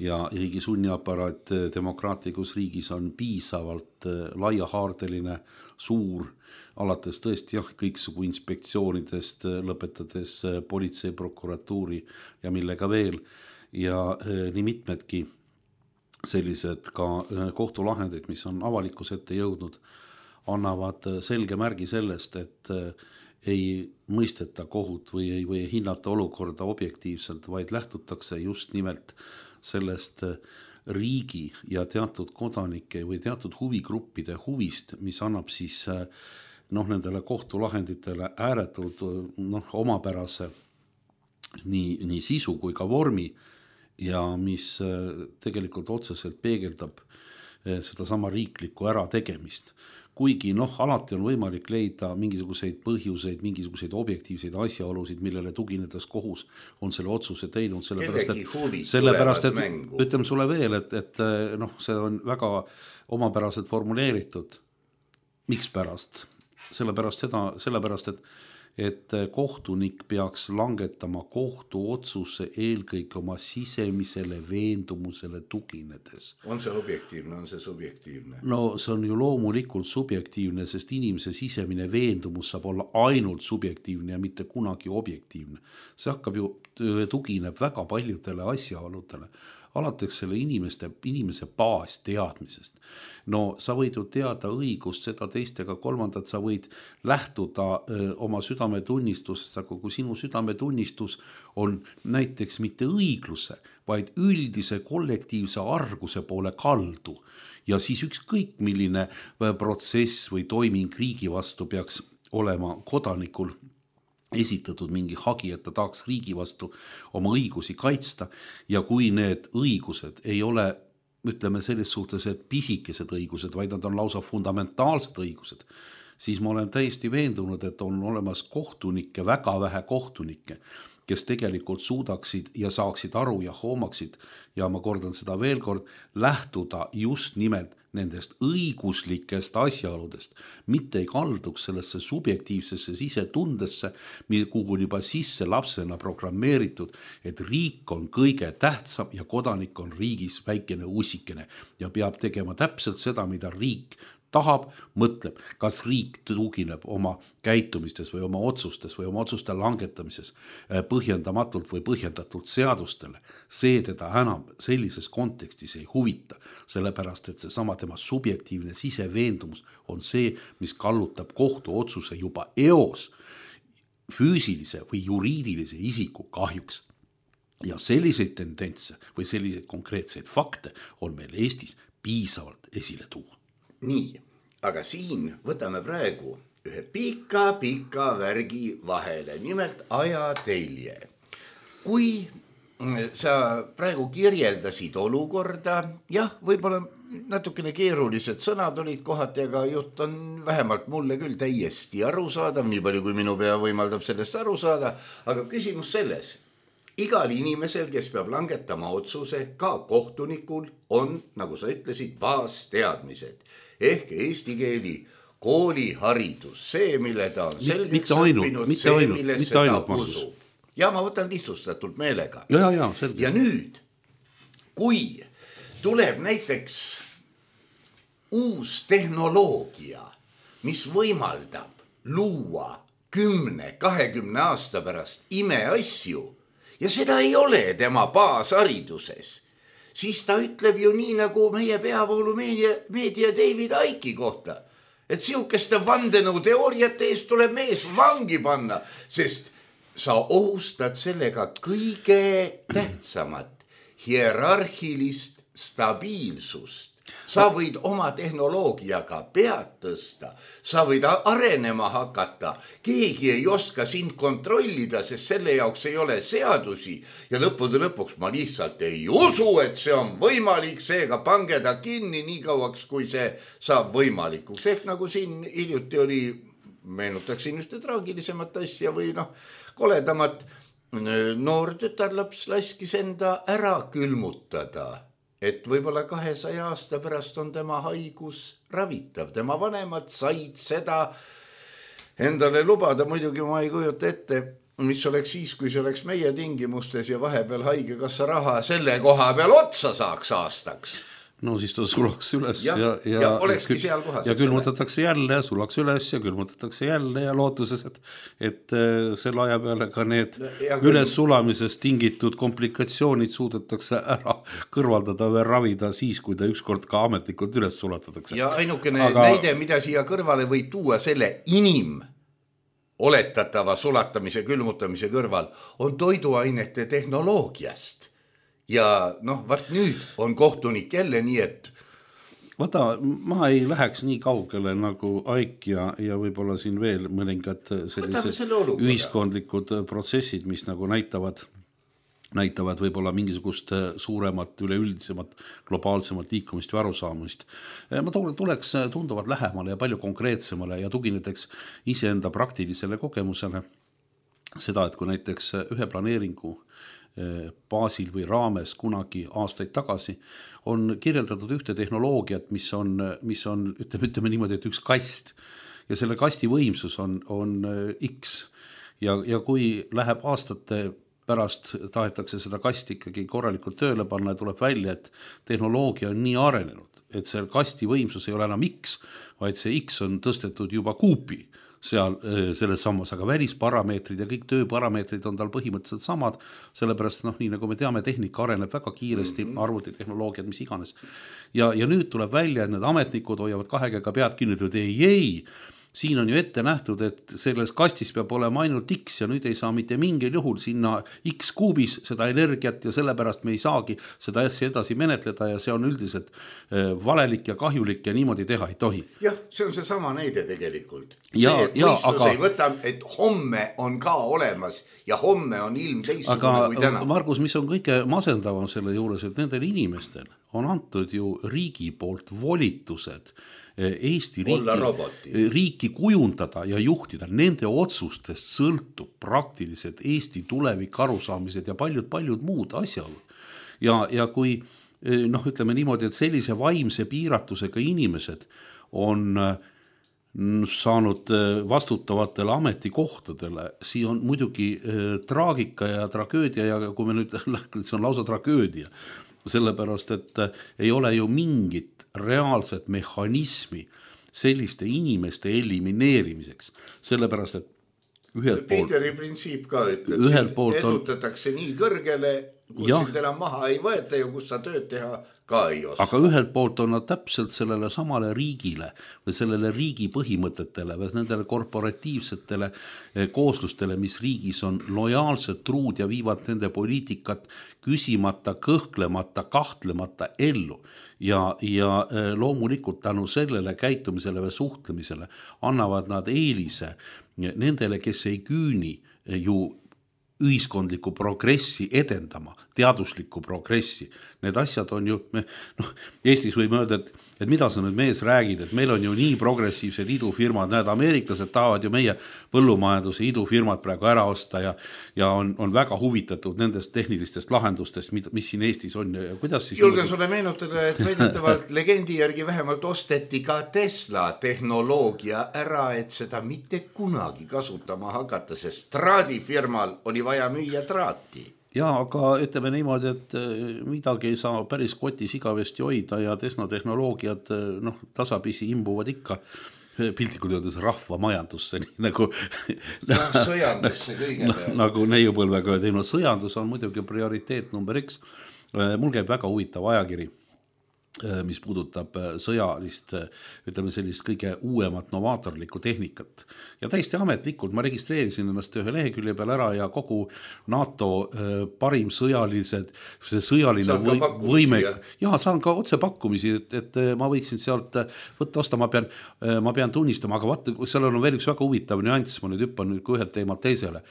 Speaker 4: Ja riigi sunniaparaat demokraatlikus riigis on piisavalt laiahaardeline, suur, alates tõesti kõiksugu inspektsioonidest, lõpetades politsei, prokuratuuri ja millega veel. Ja nii mitmedki sellised ka kohtulahendid, mis on avalikus ette jõudnud, annavad selge märgi sellest, et ei mõisteta kohut või ei hinnata olukorda objektiivselt, vaid lähtutakse just nimelt sellest riigi ja teatud kodanike või teatud huvigruppide huvist, mis annab siis nendele kohtulahenditele ääretult omapärase nii sisu kui ka vormi ja mis tegelikult otseselt peegeldab seda sama riiklikku ärategemist. Kuigi alati on võimalik leida mingisuguseid põhjuseid, mingisuguseid objektiivseid asjaolusid, millele tuginedes kohus on selle otsuse teinud, sellepärast et ütleme sulle veel, et see on väga omapäraselt formuleeritud. Mikspärast? Sellepärast, et kohtunik peaks langetama kohtuotsuse eelkõige oma sisemisele veendumusele tuginedes.
Speaker 3: On see objektiivne, on see subjektiivne?
Speaker 4: No see on ju loomulikult subjektiivne, sest inimese sisemine veendumus saab olla ainult subjektiivne ja mitte kunagi objektiivne. See hakkab ju tugineb väga paljudele asjaoludele. Alates selle inimese baasteadmisest. No sa võid ju teada õigust, seda teist ega kolmandat, sa võid lähtuda oma südametunnistusest, aga kui sinu südametunnistus on näiteks mitte õigluse, vaid üldise kollektiivse arguse poole kaldu ja siis ükskõik milline protsess või toiming riigi vastu peaks olema kodanikul esitatud mingi hagi, et ta tahaks riigi vastu oma õigusi kaitsta ja kui need õigused ei ole, ütleme selles suhtes, et pisikesed õigused, vaid nad on lausa fundamentaalsed õigused, siis ma olen täiesti veendunud, et on olemas kohtunikke, väga vähe kohtunikke, kes tegelikult suudaksid ja saaksid aru ja hoomaksid ja ma kordan seda veel kord, lähtuda just nimelt nendest õiguslikest asjaoludest, mitte ei kalduks sellesse subjektiivsesse sisetundesse, kuhu on juba sisse lapsena programmeeritud, et riik on kõige tähtsam ja kodanik on riigis väikene usikene ja peab tegema täpselt seda, mida riik tahab, mõtleb, kas riik tugineb oma käitumistes või oma otsustes või oma otsuste langetamises põhjendamatult või põhjendatult seadustele. See teda enam sellises kontekstis ei huvita, sellepärast et seesama tema subjektiivne siseveendumus on see, mis kallutab kohtuotsuse juba eos füüsilise või juriidilise isiku kahjuks. Ja selliseid tendentse või selliseid konkreetseid fakte on meil Eestis piisavalt esile tuua.
Speaker 3: Nii, aga siin võtame praegu ühe pika värgi vahele, nimelt ajatelje. Kui sa praegu kirjeldasid olukorda, jah, võib-olla natukene keerulised sõnad olid kohati, aga jutt on vähemalt mulle küll täiesti arusaadav, nii palju kui minu pea võimaldab sellest aru saada, aga küsimus selles, igal inimesel, kes peab langetama otsuse, ka kohtunikul on, nagu sa ütlesid, baasteadmised. Ehk eesti keeli kooliharidus, see, mille ta on selgeks õppinud, see, millesse ta usub. Ja ma võtan lihtsustatult meelega. Ja nüüd, kui tuleb näiteks uus tehnoloogia, mis võimaldab luua 10-20 aasta pärast imeasju ja seda ei ole tema baashariduses, siis ta ütleb ju nii nagu meie peavoolumeedia David Icke kohta, et siukeste vandenõu teooriate eest tuleb mees vangi panna, sest sa ohustad sellega kõige tähtsamat hierarhilist stabiilsust. Sa võid oma tehnoloogiaga pead tõsta, sa võid arenema hakata, keegi ei oska sind kontrollida, sest selle jaoks ei ole seadusi ja lõppude lõpuks ma lihtsalt ei usu, et see on võimalik, seega pange ta kinni nii kauaks, kui see saab võimalikuks. Ehk nagu siin hiljuti oli, meenutaksin ühte traagilisemat asja või koledamat, noor tütarlaps laskis enda ära külmutada, et võib-olla 200 aasta pärast on tema haigus ravitav. Tema vanemad said seda endale lubada, muidugi ma ei kujuta ette, mis oleks siis, kui see oleks meie tingimustes ja vahepeal haigekassa raha selle koha peal otsa saaks aastaks.
Speaker 4: No siis ta sulaks üles
Speaker 3: ja olekski seal kohas.
Speaker 4: Ja külmutatakse jälle, sulaks üles ja külmutatakse jälle ja lootuses, et selle aja peale ka need üles sulamisest tingitud komplikatsioonid suudetakse ära kõrvaldada või ravida siis, kui ta ükskord ka ametlikult üles sulatatakse.
Speaker 3: Ja ainukene näide, mida siia kõrvale võib tuua selle oletatava sulatamise, külmutamise kõrval, on toiduainete tehnoloogiast. ja noh, vaat nüüd on kohtunik jälle nii, et
Speaker 4: vaata, ma ei läheks nii kaugele nagu Aik ja võib-olla siin veel mõningad sellised ühiskondlikud protsessid, mis nagu näitavad võib-olla mingisugust suuremat, üleüldisemat, globaalsemat liikumist või arusaamist. Ma tuleks tunduvalt lähemale ja palju konkreetsemale ja tugineteks iseenda praktilisele kogemusele seda, et kui näiteks ühe planeeringu baasil või raames kunagi aastaid tagasi on kirjeldatud ühte tehnoloogiat, mis on ütleme niimoodi, et üks kast ja selle kasti võimsus on X ja kui läheb aastate pärast tahetakse seda kasti ikkagi korralikult tööle panna ja tuleb välja, et tehnoloogia on nii arenenud, et see kasti võimsus ei ole enam X, vaid see X on tõstetud juba kuupi seal selles sammas, aga välisparameetrid ja kõik tööparameetrid on tal põhimõtteliselt samad, sellepärast nii nagu me teame, tehnika areneb väga kiiresti, arvutitehnoloogiad, mis iganes. Ja nüüd tuleb välja, et need ametnikud hoiavad kahega pead kinni, et ei, siin on ju ette nähtud, et selles kastis peab olema ainult X ja nüüd ei saa mitte mingil juhul sinna X kuubis seda energiat ja sellepärast me ei saagi seda asja edasi menetleda ja see on üldiselt valelik ja kahjulik ja niimoodi teha ei tohi.
Speaker 3: Jah, see on see sama näide tegelikult. See, et võistlus ei võta, et homme on ka olemas ja homme on ilm teistsugune kui täna.
Speaker 4: Margus, mis on kõige masendavam selle juures, et nendel inimestel on antud ju riigi poolt volitused Eesti riiki kujundada ja juhtida, nende otsustest sõltub praktiliselt Eesti tulevik arusaamised ja paljud muud asjaolud. Ja kui ütleme niimoodi, et sellise vaimse piiratusega inimesed on saanud vastutavatele ametikohtadele, siis on muidugi traagika ja tragöödia ja kui me nüüd see on lausa tragöödia, sellepärast, et ei ole ju mingit reaalset mehhanismi selliste inimeste elimineerimiseks, sellepärast, et ühelt poolt
Speaker 3: Peteri printsiip ka ütleb, edutatakse nii kõrgele, kus sind enam maha ei võeta ja kus sa tööd teha ka ei oska.
Speaker 4: Aga ühelt poolt on nad täpselt sellele samale riigile või sellele riigi põhimõtetele või nendele korporatiivsetele kooslustele, mis riigis on lojaalsed, truud ja viivad nende poliitikat küsimata, kõhklemata, kahtlemata ellu. Ja loomulikult tänu sellele käitumisele või suhtlemisele annavad nad eelise nendele, kes ei küüni ju ühiskondlikku progressi edendama, teaduslikku progressi. Need asjad on ju, Eestis võime öelda, et mida sa nüüd mees räägid, et meil on ju nii progressiivsed idufirmad, näed, ameeriklased tahavad ju meie põllumajanduse idufirmad praegu ära osta ja on väga huvitatud nendest tehnilistest lahendustest, mis siin Eestis on. Ja kuidas siis
Speaker 3: julgen sulle meenutada, et väidetavalt legendi järgi vähemalt osteti ka Tesla tehnoloogia ära, et seda mitte kunagi kasutama hakata, sest traadifirmal oli vaja müüa traati.
Speaker 4: Ja, aga ütleme niimoodi, et midagi ei saa päris kotis igavesti hoida ja Tesla tehnoloogiad tasapisi imbuvad ikka piltlikult öeldes rahva majandusse, nii nagu
Speaker 3: sõjandusse kõige peale.
Speaker 4: Nagu neiupõlvega teinud. Sõjandus on muidugi prioriteet number X. Mul käib väga huvitav ajakiri, mis puudutab sõjalist, ütleme sellist kõige uuemat novaatorlikku tehnikat. Ja täiesti ametlikult ma registreerisin ennast ühe lehekülje peal ära ja kogu NATO parim sõjaline võime. Ja saan ka otse pakkumisi, et ma võiksin sealt võtta osta, ma pean tunnistama, aga vaata, seal on veel üks väga huvitav nüanss, ma nüüd hüppan ühelt teemalt teisele.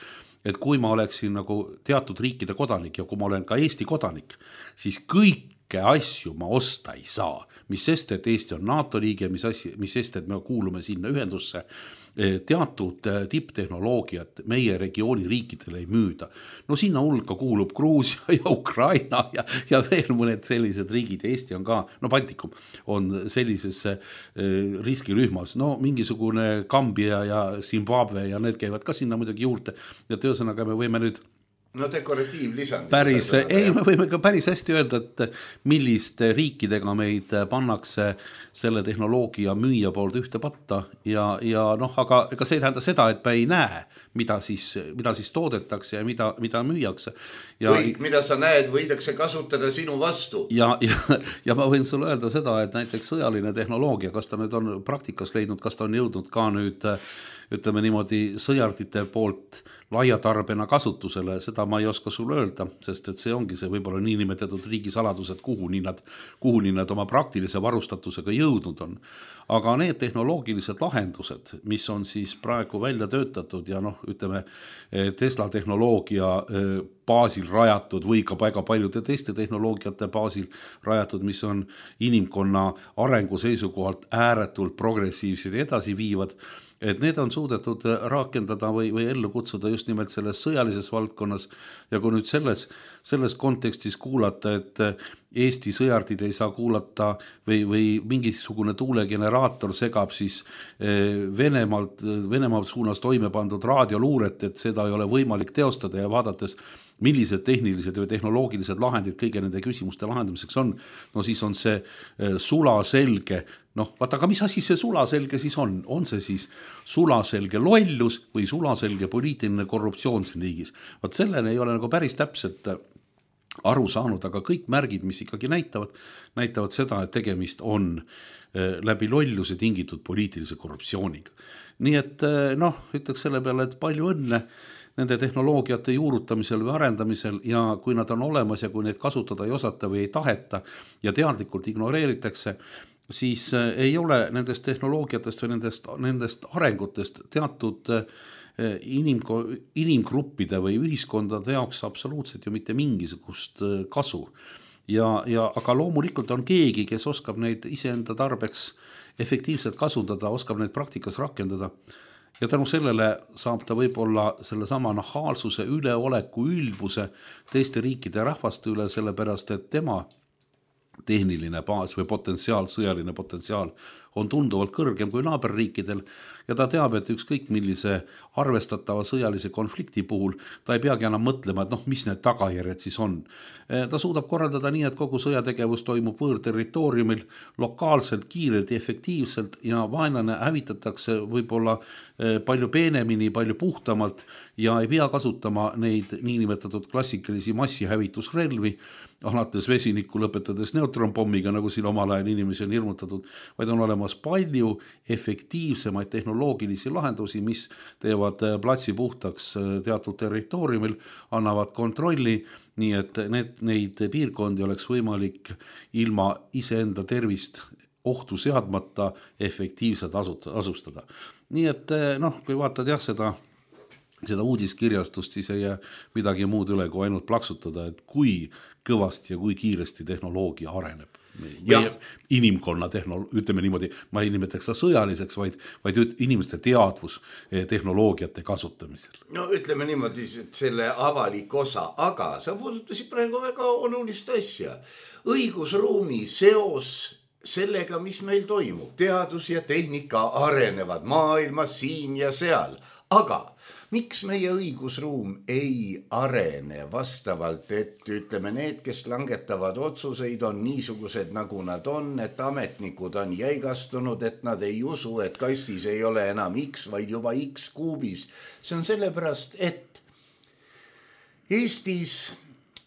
Speaker 4: Et kui ma oleksin nagu teatud riikide kodanik ja kui ma olen ka Eesti kodanik, siis kõik asju ma osta ei saa, mis sest, et Eesti on NATO liige, mis sest, et me kuulume sinna ühendusse, teatud tipptehnoloogiat meie regiooni riikidele ei müüda. No sinna hulka kuulub Gruusia ja Ukraina ja veel mõned sellised riigid, Eesti on ka, Baltikum on sellises riskirühmas, mingisugune Gambia ja Zimbabwe ja need käivad ka sinna muidugi juurde ja ühesõnaga me võime nüüd
Speaker 3: dekoratiivlisand.
Speaker 4: Me võime ka päris hästi öelda, et milliste riikidega meid pannakse selle tehnoloogia müüja poolt ühte patta ja aga ega see ei tähenda seda, et me ei näe, mida siis toodetakse ja mida müüakse.
Speaker 3: Kõik, mida sa näed, võidakse kasutada sinu vastu.
Speaker 4: Ja ma võin sulle öelda seda, et näiteks sõjaline tehnoloogia, kas ta nüüd on praktikas leidnud, kas ta on jõudnud ka nüüd ütleme niimoodi sõjardite poolt laiatarbena kasutusele, seda ma ei oska sulle öelda, sest et see ongi see võib-olla niinimetatud riigisaladused, kuhu nii nad oma praktilise varustatusega jõudnud on. Aga need tehnoloogilised lahendused, mis on siis praegu välja töötatud ja ütleme Tesla tehnoloogia baasil rajatud või ka väga paljude teiste tehnoloogiate baasil rajatud, mis on inimkonna arengu seisukohalt ääretult progressiivsed ja edasi viivad, et need on suudetud rakendada või ellu kutsuda just nimelt selles sõjalises valdkonnas ja kui nüüd selles kontekstis kuulata, et Eesti sõjardid ei saa kuulata või mingisugune tuulegeneraator segab siis Venemaalt suunas toime pandud raadioluuret, et seda ei ole võimalik teostada ja vaadates millised tehnilised või tehnoloogilised lahendid kõige nende küsimuste lahendamiseks on, no siis on see sulaselge, vaata, aga mis asi see sulaselge siis on? On see siis sulaselge lollus või sulaselge poliitiline korruptsioon siin riigis? Vaat selleni ei ole nagu päris täpselt aru saanud, aga kõik märgid, mis ikkagi näitavad seda, et tegemist on läbi lolluse tingitud poliitilise korruptsiooniga. Nii et ütleks selle peale, et palju õnne nende tehnoloogiate juurutamisel või arendamisel ja kui nad on olemas ja kui neid kasutada ei osata või ei taheta ja teadlikult ignoreeritakse, siis ei ole nendest tehnoloogiatest või nendest arengutest teatud inimgruppide või ühiskondade jaoks absoluutselt ju mitte mingisugust kasu. Aga loomulikult on keegi, kes oskab neid iseenda tarbeks efektiivselt kasutada, oskab neid praktikas rakendada. Ja tänu sellele saab ta võib-olla selle sama nahaalsuse, üleoleku, ülbuse teiste riikide ja rahvaste üle, sellepärast et tema tehniline baas või potentsiaal, sõjaline potentsiaal on tunduvalt kõrgem kui naaberriikidel ja ta teab, et ükskõik millise arvestatava sõjalise konflikti puhul ta ei peagi enam mõtlema, et mis need tagajärjed siis on. Ta suudab korraldada nii, et kogu sõjategevus toimub võõrterritooriumil lokaalselt, kiirelt ja efektiivselt ja vaenlane hävitatakse võib-olla palju peenemini, palju puhtamalt ja ei pea kasutama neid niinimetatud klassikalisi massihävitusrelvi, alates vesinikku lõpetades neutronpommiga, nagu siin omal ajal inimesi on hirmutatud, vaid on olemas palju efektiivsemaid tehnoloogilisi lahendusi, mis teevad platsi puhtaks teatud territooriumil, annavad kontrolli, nii et neid piirkondi oleks võimalik ilma iseenda tervist ohtu seadmata efektiivselt asustada. Nii et kui vaatad seda uudiskirjastust, siis ei jää midagi muud üle kui ainult plaksutada, et kui kõvasti ja kui kiiresti tehnoloogia areneb. Inimkonna ütleme niimoodi, ma ei nimetaks seda sõjaliseks, vaid inimeste teadvus tehnoloogiate kasutamisel.
Speaker 3: No ütleme niimoodi, et selle avalik osa, aga sa puudutasid praegu väga olulist asja. Õigusruumi seos sellega, mis meil toimub. Teadus ja tehnika arenevad maailmas siin ja seal, aga miks meie õigusruum ei arene vastavalt, et ütleme need, kes langetavad otsuseid, on niisugused, nagu nad on, et ametnikud on jäigastunud, et nad ei usu, et kastis ei ole enam X, vaid juba X kuubis. See on sellepärast, et Eestis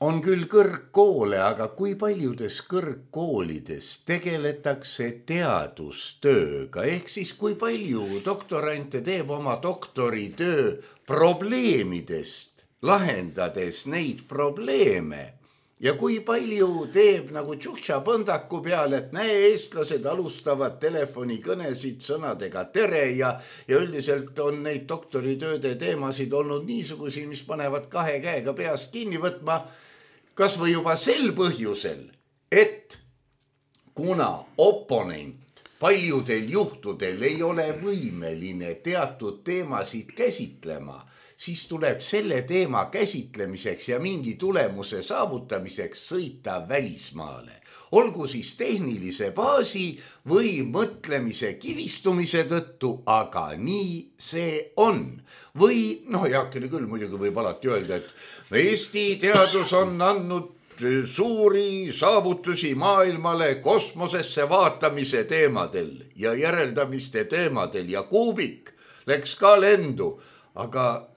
Speaker 3: on küll kõrgkoole, aga kui paljudes kõrgkoolides tegeletakse teadustööga, ehk siis kui palju doktorante teeb oma doktoritöö probleemidest, lahendades neid probleeme ja kui palju teeb nagu tšuhtša põndaku peal, et näe, eestlased alustavad telefonikõnesid sõnadega tere ja üldiselt on neid doktoritööde teemasid olnud niisugusi, mis panevad kahe käega peast kinni võtma, kas või juba sel põhjusel, et kuna oponent paljudel juhtudel ei ole võimeline teatud teemasid käsitlema, siis tuleb selle teema käsitlemiseks ja mingi tulemuse saavutamiseks sõita välismaale. Olgu siis tehnilise baasi või mõtlemise kivistumise tõttu, aga nii see on. Või, heakene küll, muidugi võib alati öelda, et Eesti teadus on andnud suuri saavutusi maailmale kosmosesse vaatamise teemadel ja järeldamiste teemadel ja kuubik läks ka lendu, aga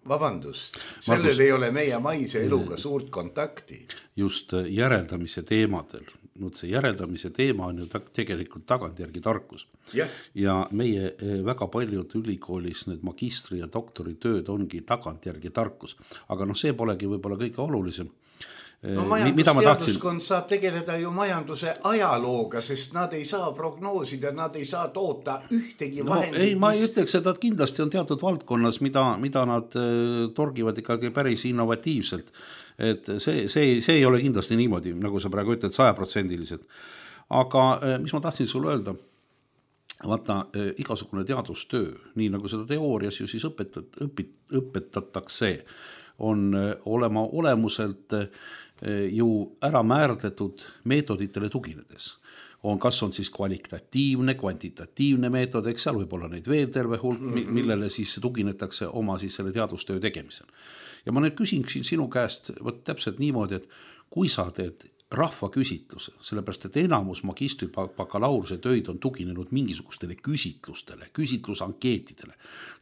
Speaker 3: vabandust, sellel ei ole meie maise eluga suurt kontakti.
Speaker 4: Just järeldamise teemadel nüüd see järeldamise teema on ju tegelikult tagantjärgi tarkus. Ja meie väga paljud ülikoolis need magistri- ja doktoritööd ongi tagantjärgi tarkus. Aga see polegi võib-olla kõige olulisem.
Speaker 3: No majandusteaduskond saab tegeleda ju majanduse ajalooga, sest nad ei saa prognoosida, nad ei saa toota ühtegi vahendit.
Speaker 4: Ei, ma ei ütleks, et nad kindlasti on teatud valdkonnas, mida nad torgivad ikkagi päris innovatiivselt. Et see ei ole kindlasti niimoodi, nagu sa praegu ütled, 100%. Aga mis ma tahtsin sulle öelda? Vaata, igasugune teadustöö, nii nagu seda teoorias ju siis õpetatakse, on olema olemuselt ju ära määratletud meetoditele tuginedes. Kas on siis kvalitatiivne, kvantitatiivne meetod, eks seal võib olla neid veel terve hulk, millele siis tuginetakse oma siis selle teadustöö tegemisel. Ja ma nüüd küsiksin sinu käest täpselt niimoodi, et kui sa teed rahvaküsitluse, sellepärast et enamus magistri bakalaureuse töid on tuginenud mingisugustele küsitlustele, küsitlusankeetidele,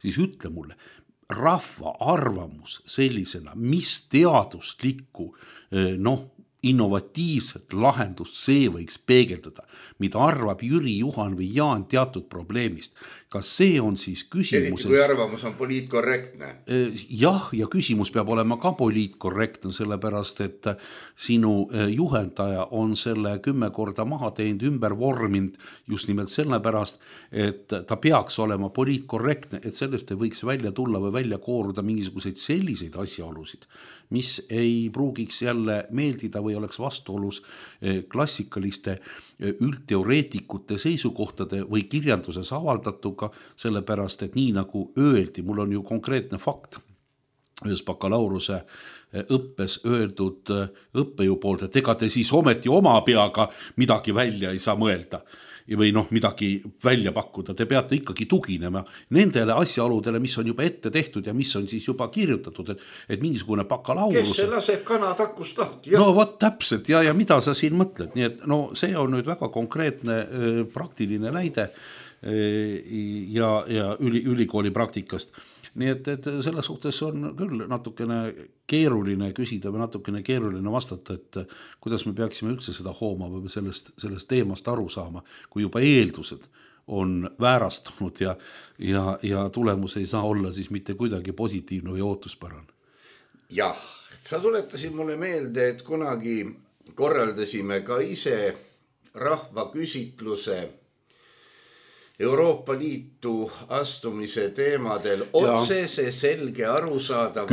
Speaker 4: siis ütle mulle, rahva arvamus sellisena, mis teaduslikku innovatiivset lahendust see võiks peegeldada, mida arvab Jüri, Juhan või Jaan teatud probleemist. Kas see on siis küsimuses...
Speaker 3: Eriti kui arvamus on poliitkorrektne.
Speaker 4: Jah, ja küsimus peab olema ka poliitkorrektne, sellepärast, et sinu juhendaja on selle 10 korda maha teinud, ümber vorminud just nimelt sellepärast, et ta peaks olema poliitkorrektne, et sellest ei võiks välja tulla või välja kooruda mingisuguseid selliseid asjaolusid, mis ei pruugiks jälle meeldida või oleks vastuolus klassikaliste üldteoreetikute seisukohtade või kirjanduses avaldatuga, sellepärast, et nii nagu öeldi, mul on ju konkreetne fakt ühes bakalaureuse õppes öeldud õppejõu poolt, et ega te siis ometi oma peaga midagi välja ei saa mõelda või midagi välja pakkuda, te peate ikkagi tuginema nendele asjaoludele, mis on juba ette tehtud ja mis on siis juba kirjutatud, et mingisugune bakalaureuse...
Speaker 3: Kes see laseb kana takust lahti?
Speaker 4: No vot täpselt, ja mida sa siin mõtled, nii et see on nüüd väga konkreetne praktiline näide ja ülikooli praktikast. Nii et selles suhtes on küll natukene keeruline küsida või natukene keeruline vastata, et kuidas me peaksime üldse seda hooma või sellest teemast aru saama, kui juba eeldused on väärastunud ja tulemus ei saa olla siis mitte kuidagi positiivne või ootuspärane.
Speaker 3: Jah, sa tuletasid mulle meelde, et kunagi korraldasime ka ise rahvaküsitluse Euroopa Liitu astumise teemadel otsese selge arusaadava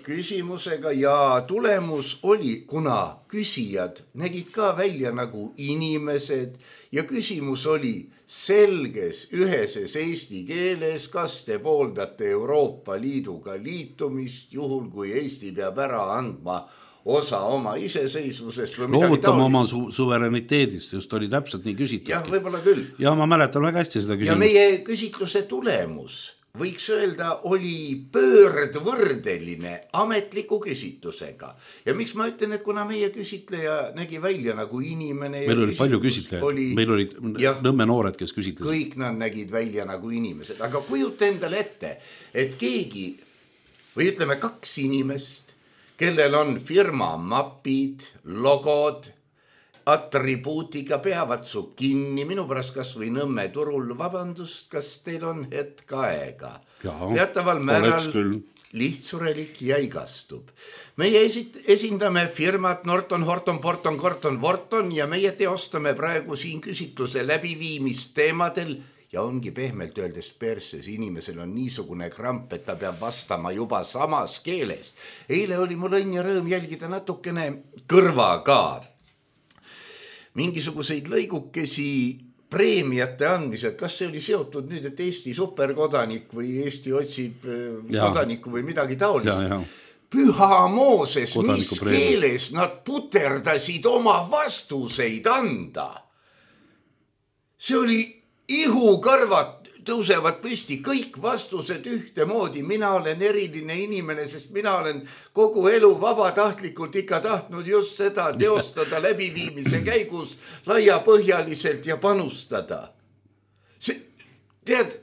Speaker 3: küsimusega ja tulemus oli, kuna küsijad nägid ka välja nagu inimesed ja küsimus oli selges üheses eesti keeles, kas te pooldate Euroopa Liiduga liitumist, juhul kui Eesti peab ära andma osa oma iseseisvusest või midagi
Speaker 4: loovutama oma suvereniteedist, just oli täpselt nii küsitud.
Speaker 3: Jah, võib-olla küll.
Speaker 4: Ja ma mäletan väga hästi seda küsimust.
Speaker 3: Ja meie küsitluse tulemus, võiks öelda, oli pöördvõrdeline ametliku küsitlusega. Ja miks ma ütlen, et kuna meie küsitleja nägi välja nagu inimene...
Speaker 4: Meil oli palju küsitlejaid, meil olid Nõmme noored, kes küsitlesid.
Speaker 3: Kõik nad nägid välja nagu inimesed, aga kujuta endale ette, et keegi, või ütleme 2 inimest, kellel on firma mapid, logod, atribuutiga peavad su kinni, minu pärast kas või Nõmme turul, vabandust, kas teil on hetk aega? Teataval määral lihtsurelik ja igastub. Meie esindame firmat Norton, Horton, Porton, Corton, Vorton ja meie teostame praegu siin küsitluse läbiviimist teemadel ja ongi pehmelt öeldes perses, inimesel on niisugune kramp, et ta peab vastama juba samas keeles. Eile oli mul õnn ja rõõm jälgida natukene kõrvaga mingisuguseid lõigukesi preemiate andmised. Kas see oli seotud nüüd, et Eesti superkodanik või Eesti otsib kodanikku või midagi taolist? Püha Mooses, mis keeles nad puterdasid oma vastuseid anda? See oli ihukarvad tõusevad püsti, kõik vastused ühtemoodi. Mina olen eriline inimene, sest mina olen kogu elu vabatahtlikult ikka tahtnud just seda teostada läbiviimise käigus laiapõhjaliselt ja panustada. See, tead,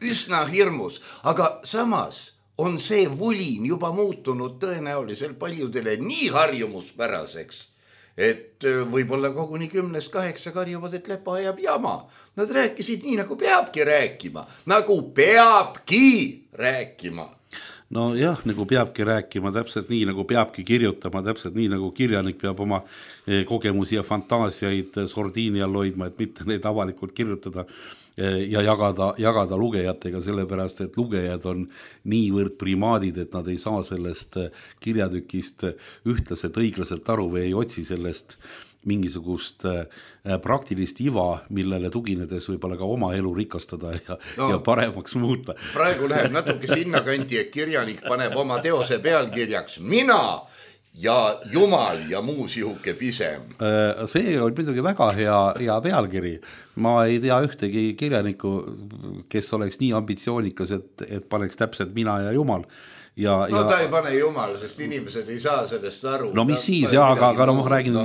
Speaker 3: üsna hirmus, aga samas on see vulin juba muutunud tõenäoliselt paljudele nii harjumuspäraseks, et võib-olla koguni 10-8 karjuvad, et Lepa ajab jama. Nad rääkisid nii, nagu peabki rääkima.
Speaker 4: No jah, nagu peabki rääkima, täpselt nii, nagu peabki kirjutama, täpselt nii, nagu kirjanik peab oma kogemusi ja fantaasiaid sordiini all hoidma, et mitte neid avalikult kirjutada ja jagada lugejatega, sellepärast, et lugejad on niivõrd primaadid, et nad ei saa sellest kirjatükist ühtlaselt õiglaselt aru või ei otsi sellest mingisugust praktilist iva, millele tuginedes võib-olla ka oma elu rikastada ja paremaks muuta.
Speaker 3: Praegu läheb natuke sinna kanti, et kirjanik paneb oma teose pealkirjaks mina ja Jumal ja muu sihuke pisem.
Speaker 4: See on muidugi väga hea pealkiri. Ma ei tea ühtegi kirjanikku, kes oleks nii ambitsioonikas, et paneks täpselt mina ja Jumal.
Speaker 3: Ta ei pane Jumal, sest inimesed ei saa sellest aru.
Speaker 4: No mis siis, aga ma räägin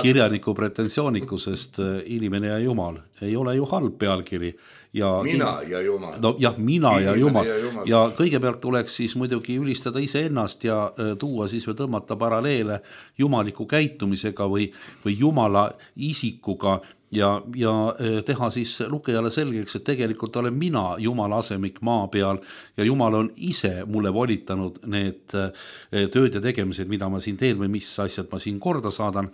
Speaker 4: kirjaniku pretensioonikusest inimene ja Jumal. Ei ole ju halb pealkiri.
Speaker 3: Mina ja Jumal.
Speaker 4: No jah, mina ja Jumal. Ja kõigepealt tuleks siis muidugi ülistada iseennast ja tuua siis või tõmmata paralleele jumaliku käitumisega või Jumala isikuga ja teha siis lugejale selgeks, et tegelikult olen mina Jumala asemik maa peal ja Jumal on ise mulle volitanud need tööd ja tegemised, mida ma siin teen või mis asjad ma siin korda saadan.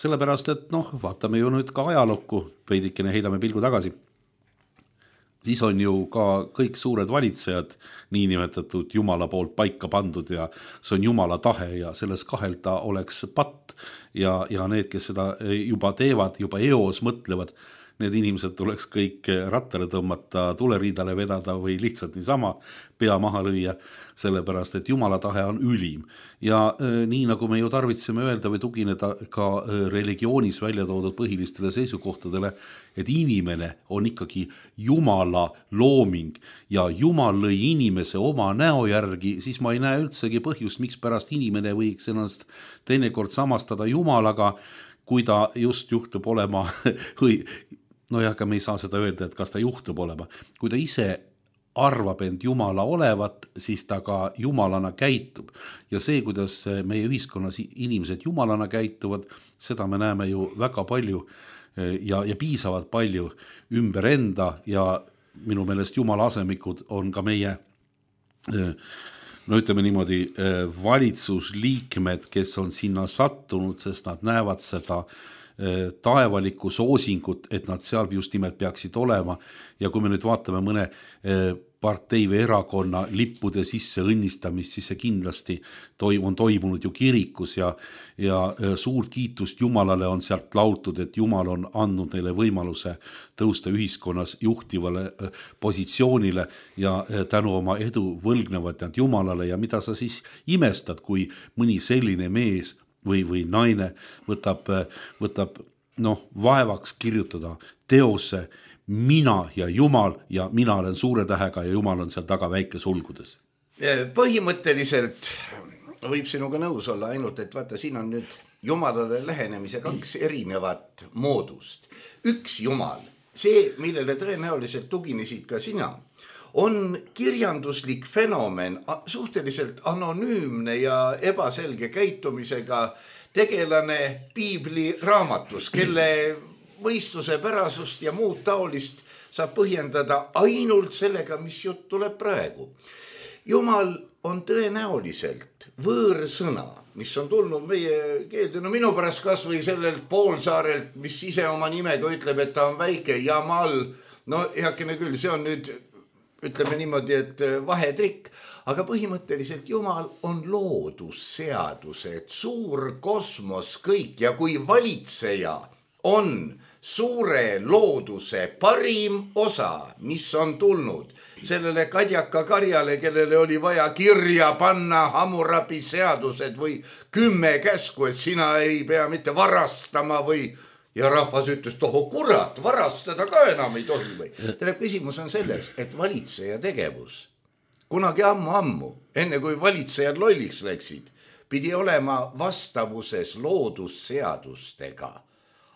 Speaker 4: Sellepärast, et vaatame ju nüüd ka ajalukku, veidikene heidame pilgu tagasi. Siis on ju ka kõik suured valitsejad niinimetatud Jumala poolt paika pandud ja see on Jumala tahe ja selles kahelda oleks patt ja need, kes seda juba teevad, juba eos mõtlevad, need inimesed tuleks kõik rattale tõmmata, tuleriidale vedada või lihtsalt niisama pea maha lüüa, sellepärast, et Jumala tahe on ülim. Ja nii nagu me ju tarvitseme öelda või tugineda ka religioonis välja toodud põhilistele seisukohtadele, et inimene on ikkagi Jumala looming ja Jumal lõi inimese oma näo järgi, siis ma ei näe üldsegi põhjust, miks pärast inimene võiks ennast teinekord samastada Jumalaga, kui ta just juhtub olema või aga me ei saa seda öelda, et kas ta juhtub olema. Kui ta ise arvab end Jumala olevat, siis ta ka Jumalana käitub. Ja see, kuidas meie ühiskonnas inimesed Jumalana käituvad, seda me näeme ju väga palju ja piisavalt palju ümber enda ja minu meelest Jumala asemikud on ka meie ütleme niimoodi valitsusliikmed, kes on sinna sattunud, sest nad näevad seda taevalikku soosingut, et nad seal just nimelt peaksid olema ja kui me nüüd vaatame mõne partei või erakonna lippude sisse õnnistamist, siis see kindlasti on toimunud ju kirikus ja suur kiitust Jumalale on sealt laultud, et Jumal on andnud neile võimaluse tõusta ühiskonnas juhtivale positsioonile ja tänu oma edu võlgnevad nad Jumalale ja mida sa siis imestad, kui mõni selline mees või naine võtab vaevaks kirjutada teose mina ja Jumal ja mina olen suure tähega ja Jumal on seal taga väike sulgudes.
Speaker 3: Põhimõtteliselt võib sinuga nõus olla ainult, et vaata, siin on nüüd Jumalale lähenemise 2 erinevat moodust. Üks Jumal, see, millele tõenäoliselt tuginesid ka sina, on kirjanduslik fenomen, suhteliselt anonüümne ja ebaselge käitumisega tegelane piibli raamatus, kelle võistluse pärasust ja muud taolist saab põhjendada ainult sellega, mis jutt tuleb praegu. Jumal on tõenäoliselt võõrsõna, mis on tulnud meie keelde, minu pärast kas või sellelt poolsaarelt, mis ise oma nimega ütleb, et ta on väike Jamal, heakene küll, see on nüüd ütleme niimoodi, et vahetrikk, aga põhimõtteliselt Jumal on loodusseadused, suur kosmos kõik ja kui valitseja on suure looduse parim osa, mis on tulnud sellele kadjaka karjale, kellele oli vaja kirja panna Hammurabi seadused või 10 käsku, et sina ei pea mitte varastama või ja rahvas ütles, kurat, varastada ka enam ei tohi või. Küsimus on selles, et valitseja tegevus kunagi ammu, enne kui valitsejad lolliks läksid, pidi olema vastavuses loodusseadustega.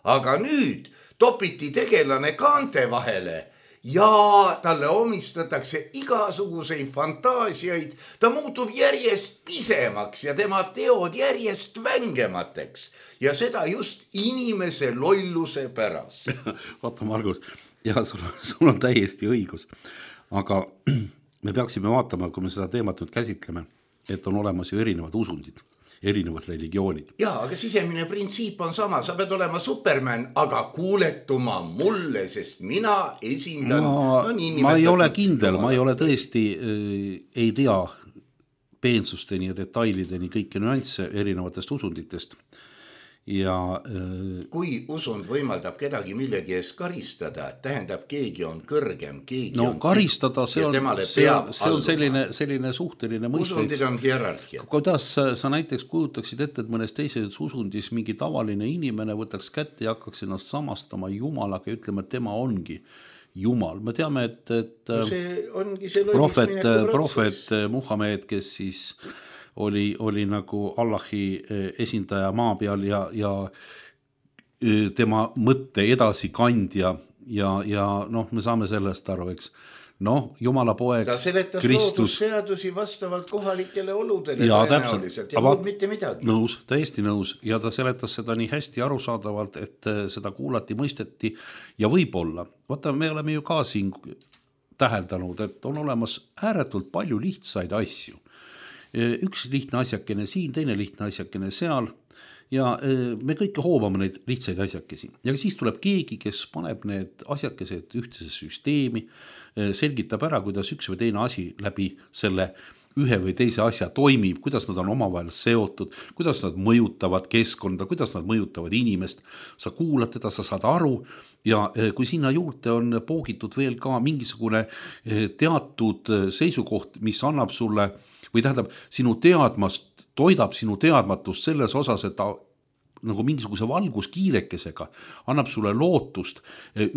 Speaker 3: Aga nüüd topiti tegelane kaante vahele ja talle omistatakse igasuguseid fantaasiaid, ta muutub järjest pisemaks ja tema teod järjest vängemateks ja seda just inimese lolluse pärast.
Speaker 4: Vaata, Margus, ja sul on täiesti õigus, aga me peaksime vaatama, kui me seda teemat nüüd käsitleme, et on olemas ju erinevad usundid, erinevad religioonid.
Speaker 3: Jaa, aga sisemine printsiip on sama, sa pead olema Superman, aga kuuletuma mulle, sest mina esindan
Speaker 4: ma ei ole kindel, ma ei ole tõesti, ei tea peensusteni ja detailideni kõiki nüansse erinevatest usunditest. Ja
Speaker 3: kui usund võimaldab kedagi millegi eest karistada, tähendab keegi on kõrgem, keegi
Speaker 4: no
Speaker 3: on
Speaker 4: karistada, see on selline suhteline mõiste.
Speaker 3: Usundid on hierarhia.
Speaker 4: Kuidas sa näiteks kujutaksid ette, et mõnes teises usundis mingi tavaline inimene võtaks kätte ja hakkaks ennast samastama Jumalaga ja ütlema, et tema ongi Jumal. Me teame, et
Speaker 3: see ongi see
Speaker 4: prohvet Muhamed, kes siis oli nagu Allahi esindaja maa peal ja tema mõtte edasi kandja ja noh, me saame sellest aru, eks. Noh, Jumala poeg
Speaker 3: ta seletas
Speaker 4: Kristus
Speaker 3: loodusseadusi vastavalt kohalikele oludele
Speaker 4: ja
Speaker 3: tõenäoliselt ja muud mitte midagi.
Speaker 4: Nõus, täiesti nõus ja ta seletas seda nii hästi arusaadavalt, et seda kuulati, mõisteti ja võib-olla, vaata, me oleme ju ka siin täheldanud, et on olemas ääretult palju lihtsaid asju. Üks lihtne asjakene siin, teine lihtne asjakene seal ja me kõike hoovame neid lihtsaid asjakesi. Ja siis tuleb keegi, kes paneb need asjakesed ühtsesse süsteemi, selgitab ära, kuidas üks või teine asi läbi selle ühe või teise asja toimib, kuidas nad on omavahel seotud, kuidas nad mõjutavad keskkonda, kuidas nad mõjutavad inimest. Sa kuulad teda, sa saad aru ja kui sinna juurde on poogitud veel ka mingisugune teatud seisukoht, mis annab sulle või tähendab, toidab sinu teadmatust selles osas, et ta nagu mingisuguse valguskiirekesega annab sulle lootust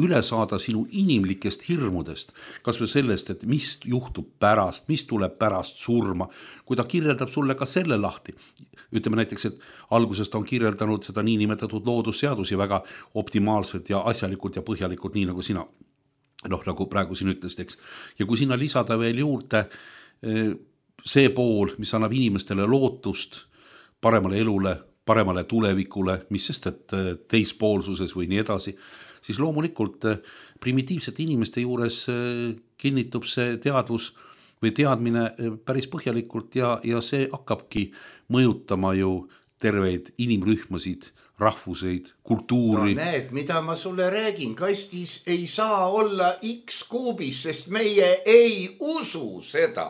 Speaker 4: üle saada sinu inimlikest hirmudest, kas või sellest, et mis juhtub pärast, mis tuleb pärast surma, kui ta kirjeldab sulle ka selle lahti. Ütleme näiteks, et algusest on kirjeldanud seda niinimetatud loodusseadusi väga optimaalselt ja asjalikult ja põhjalikult, nii nagu sina, nagu praegu siin ütlesid, eks. Ja kui sinna lisada veel juurde see pool, mis annab inimestele lootust paremale elule, paremale tulevikule, mis sest, et teispoolsuses või nii edasi, siis loomulikult primitiivsete inimeste juures kinnitub see teadvus või teadmine päris põhjalikult ja see hakkabki mõjutama ju terveid inimrühmasid, rahvuseid, kultuuri.
Speaker 3: No näed, mida ma sulle räägin, kastis ei saa olla X-kuubis, sest meie ei usu seda.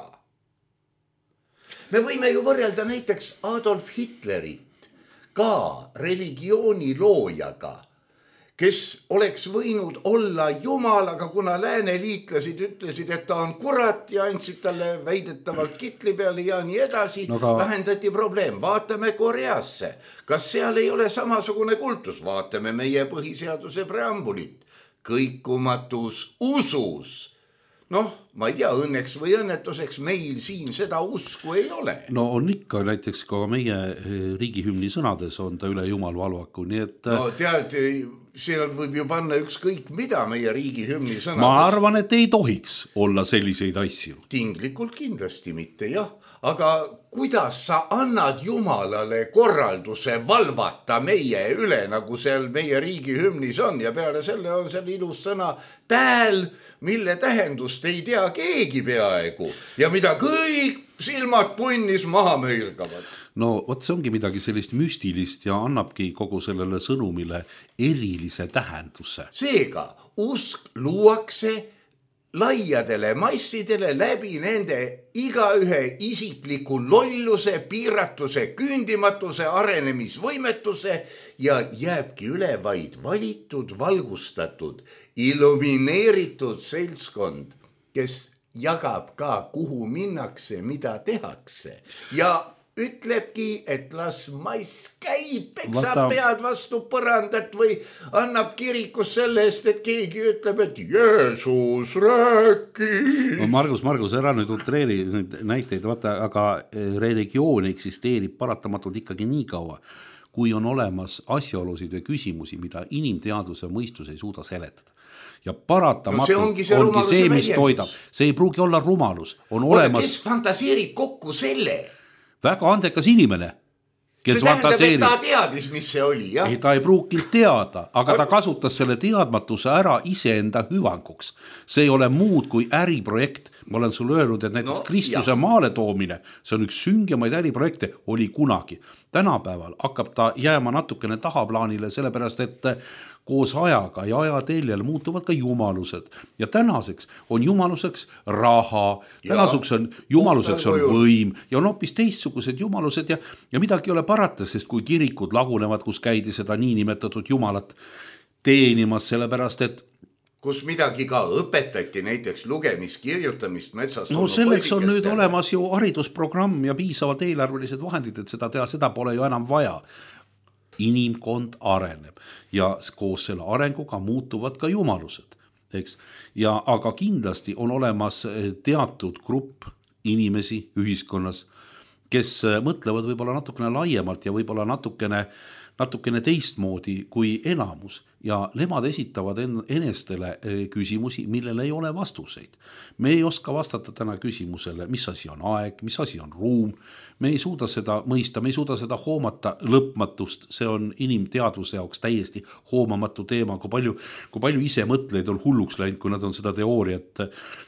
Speaker 3: Me võime ju võrrelda näiteks Adolf Hitlerit ka religiooni loojaga, kes oleks võinud olla Jumal, aga kuna lääneliitlasid ütlesid, et ta on kurat ja andsid talle väidetavalt kitli peale ja nii edasi, lahendati probleem. Vaatame Koreasse. Kas seal ei ole samasugune kultus? Vaatame meie põhiseaduse preambulit. Kõikumatus usus. Noh, ma ei tea, õnneks või õnnetuseks meil siin seda usku ei ole.
Speaker 4: No on ikka, näiteks ka meie riigihümni sõnades on ta üle Jumal valvaku, nii et...
Speaker 3: No tead, seal võib ju panna ükskõik mida meie riigihümni sõnades.
Speaker 4: Ma arvan, et ei tohiks olla selliseid asju.
Speaker 3: Tinglikult kindlasti mitte, jah. Aga kuidas sa annad Jumalale korralduse valvata meie üle, nagu seal meie riigihümnis on ja peale selle on seal ilus sõna tääl, mille tähendust ei tea keegi peaaegu ja mida kõik silmad punnis maha möirgavad.
Speaker 4: No vot, see ongi midagi sellist müstilist ja annabki kogu sellele sõnumile erilise tähenduse.
Speaker 3: Seega, usk luuakse laiadele massidele läbi nende igaühe isikliku lolluse, piiratuse, küündimatuse, arenemisvõimetuse ja jääbki üle vaid valitud, valgustatud, illumineeritud seltskond, kes jagab ka, kuhu minnakse, mida tehakse ja ütlebki, et las mass käib, peksab pead vastu põrandat või annab kirikus selle eest, et keegi ütleb, et Jeesus rääkis.
Speaker 4: No Margus, ära nüüd utreeri näiteid, vaata, aga religioon eksisteerib paratamatult ikkagi nii kaua, kui on olemas asjaolusid või küsimusi, mida inimteadvuse mõistus ei suuda seletada. ja paratamatult
Speaker 3: see ongi see
Speaker 4: mis toidab. See ei pruugi olla rumalus.
Speaker 3: Kes fantaseerib kokku selle?
Speaker 4: Väga andekas inimene.
Speaker 3: See tähendab, et ta teadis, mis see oli, jah?
Speaker 4: Ei, ta ei pruukinud teada, aga ta kasutas selle teadmatuse ära iseenda hüvanguks. See ei ole muud kui äriprojekt. Ma olen sulle öelnud, et näiteks Kristuse maale toomine, see on üks süngemaid äriprojekte, oli kunagi. Tänapäeval hakkab ta jääma natukene tahaplaanile, sellepärast et koos ajaga ja ajateljel muutuvad ka jumalused. Ja tänaseks on jumaluseks raha, tänaseks on jumaluseks on võim ja on hoopis teistsugused jumalused ja midagi ei ole parata, sest kui kirikud lagunevad, kus käidi seda niinimetatud jumalat teenimas, sellepärast et
Speaker 3: kus midagi ka õpetati, näiteks lugemist, kirjutamist metsast.
Speaker 4: No selleks on nüüd olemas ju haridusprogramm ja piisavalt eelarvelised vahendid, et seda teha, seda pole ju enam vaja. Inimkond areneb ja koos selle arenguga muutuvad ka jumalused, eks? Aga kindlasti on olemas teatud grupp inimesi ühiskonnas, kes mõtlevad võib-olla natukene laiemalt ja võib-olla natukene teistmoodi kui enamus ja nemad esitavad enestele küsimusi, millele ei ole vastuseid. Me ei oska vastata täna küsimusele, mis asi on aeg, mis asi on ruum. Me ei suuda seda mõista, me ei suuda seda hoomata lõpmatust, see on inimteadvuse jaoks täiesti hoomamatu teema, kui palju ise mõtleid on hulluks läinud, kui nad on seda teooriat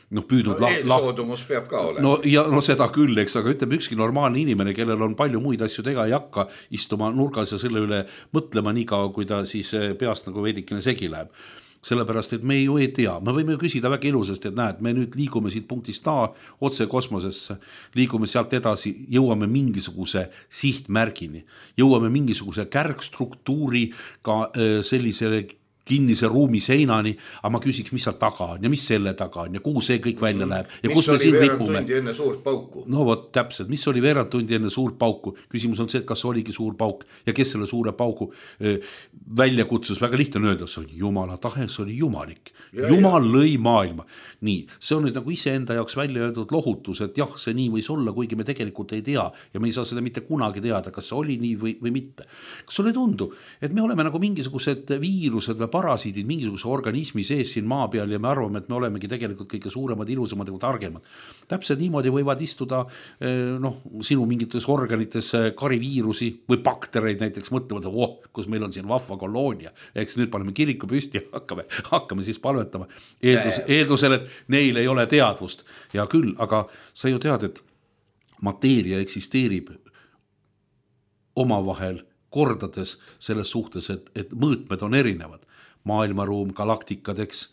Speaker 4: püüdnud
Speaker 3: eelsoodumus peab ka olema.
Speaker 4: No seda küll, eks, aga ütleb ükski normaalne inimene, kellel on palju muid asju tega ei hakka istuma nurgas ja selle üle mõtlema nii kaua, kui ta siis peast nagu veidikene segi läheb. Sellepärast, et me ju ei tea, me võime küsida väga ilusasti, et näed, me nüüd liigume siit punktist A otse kosmosesse, liigume sealt edasi, jõuame mingisuguse sihtmärgini, jõuame mingisuguse kärgstruktuuri ka sellisele kinnise ruumi seinani, aga ma küsiks, mis seal taga on ja mis selle taga on ja kuhu see kõik välja läheb ja kus me siin ripume.
Speaker 3: Mis oli veerand tundi enne suurt pauku?
Speaker 4: No vot, täpselt, mis oli veerand tundi enne suurt pauku? Küsimus on see, et kas oligi suur pauk ja kes selle suure pauku välja kutsus. Väga lihtne on öelda, see on Jumala tahe, see oli jumalik. Jumal lõi maailma. Nii, see on nüüd nagu iseenda jaoks välja öeldud lohutus, et jah, see nii võis olla, kuigi me tegelikult ei tea ja me ei saa seda mitte kunagi teada, kas see oli nii või mitte. Kas sulle tundu, et me oleme nagu mingisugused viirused või parasiidid mingisuguse organismi sees siin maa peal ja me arvame, et me olemegi tegelikult kõige suuremad, ilusamad ja targemad. Täpselt niimoodi võivad istuda sinu mingites organites kariviirusi või baktereid näiteks mõtlevad, kus meil on siin vahva koloonia, eks nüüd paneme kiriku püsti ja hakkame siis palvetama eeldusel, et neil ei ole teadvust. Ja küll, aga sa ju tead, et mateeria eksisteerib omavahel kordades selles suhtes, et mõõtmed on erinevad. Maailmaruum, galaktikadeks,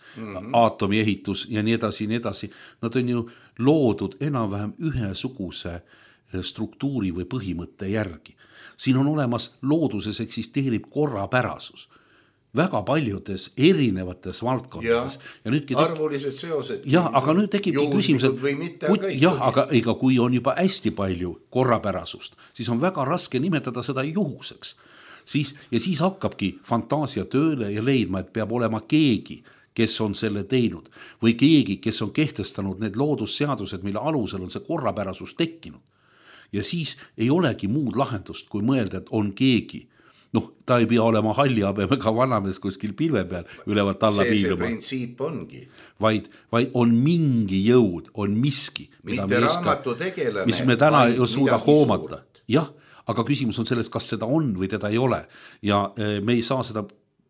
Speaker 4: aatomi ehitus ja nii edasi. Nad on ju loodud enam-vähem ühesuguse struktuuri või põhimõtte järgi. Siin on olemas, looduses eksisteerib korrapärasus. Väga paljudes erinevates valdkondades.
Speaker 3: Arvulised seosed.
Speaker 4: Jah, aga nüüd tekibki küsimus, aga kui on juba hästi palju korrapärasust, siis on väga raske nimetada seda juhuseks. Siis hakkabki fantaasia tööle ja leidma, et peab olema keegi, kes on selle teinud või keegi, kes on kehtestanud need loodusseadused, mille alusel on see korrapärasus tekkinud. Ja siis ei olegi muud lahendust, kui mõelda, et on keegi. Ta ei pea olema hallihabemega vanamees kuskil pilve peal ülevalt alla piiluma.
Speaker 3: See printsiip ongi.
Speaker 4: Vaid on mingi jõud, on miski, mis me täna ei suuda hoomata. Jah, aga küsimus on selles, kas seda on või teda ei ole. Ja me ei saa seda,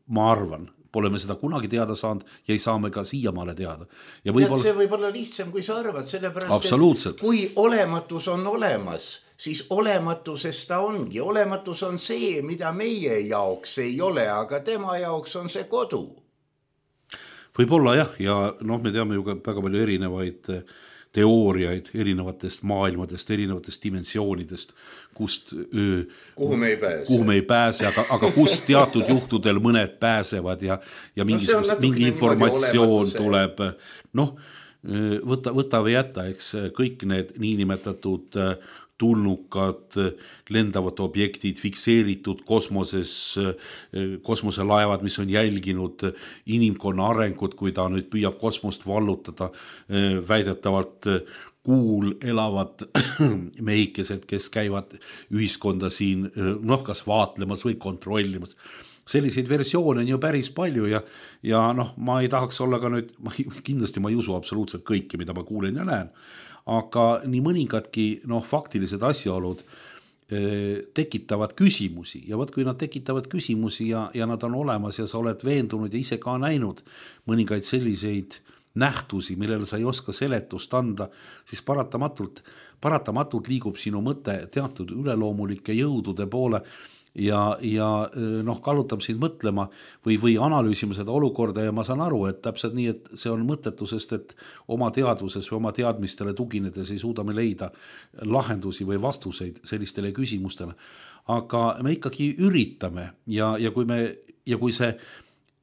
Speaker 4: ma arvan, pole me seda kunagi teada saanud ja ei saa me ka siiamaale teada. Ja
Speaker 3: see võib olla lihtsam, kui sa arvad, sellepärast,
Speaker 4: absoluutselt.
Speaker 3: Et kui olematus on olemas, siis olematusest ta ongi. Olematus on see, mida meie jaoks ei ole, aga tema jaoks on see kodu.
Speaker 4: Võib-olla jah, ja me teame ju ka väga palju erinevaid teooriaid erinevatest maailmadest, erinevatest dimensioonidest, kuhu me ei pääse, aga kust teatud juhtudel mõned pääsevad ja mingi informatsioon tuleb. Võta või jätta, eks kõik need niinimetatud tulnukad, lendavad objektid, fikseeritud kosmoselaevad, mis on jälginud inimkonna arengut, kui ta nüüd püüab kosmost vallutada, väidetavalt kuul elavad mehikesed, kes käivad ühiskonda siin kas vaatlemas või kontrollimas. selliseid versioone on ju päris palju ja noh, ma ei tahaks olla ka nüüd, kindlasti ma ei usu absoluutselt kõiki, mida ma kuulen ja näen, aga nii mõningadki faktilised asjaolud tekitavad küsimusi ja võt, kui nad tekitavad küsimusi ja nad on olemas ja sa oled veendunud ja ise ka näinud mõningaid selliseid nähtusi, millele sa ei oska seletust anda, siis paratamatult liigub sinu mõte teatud üleloomulike jõudude poole ja kallutab sind mõtlema või analüüsima seda olukorda ja ma saan aru, et täpselt nii, et see on mõttetusest, et oma teadvuses või oma teadmistele tuginedes ei suuda me leida lahendusi või vastuseid sellistele küsimustele. Aga me ikkagi üritame ja kui see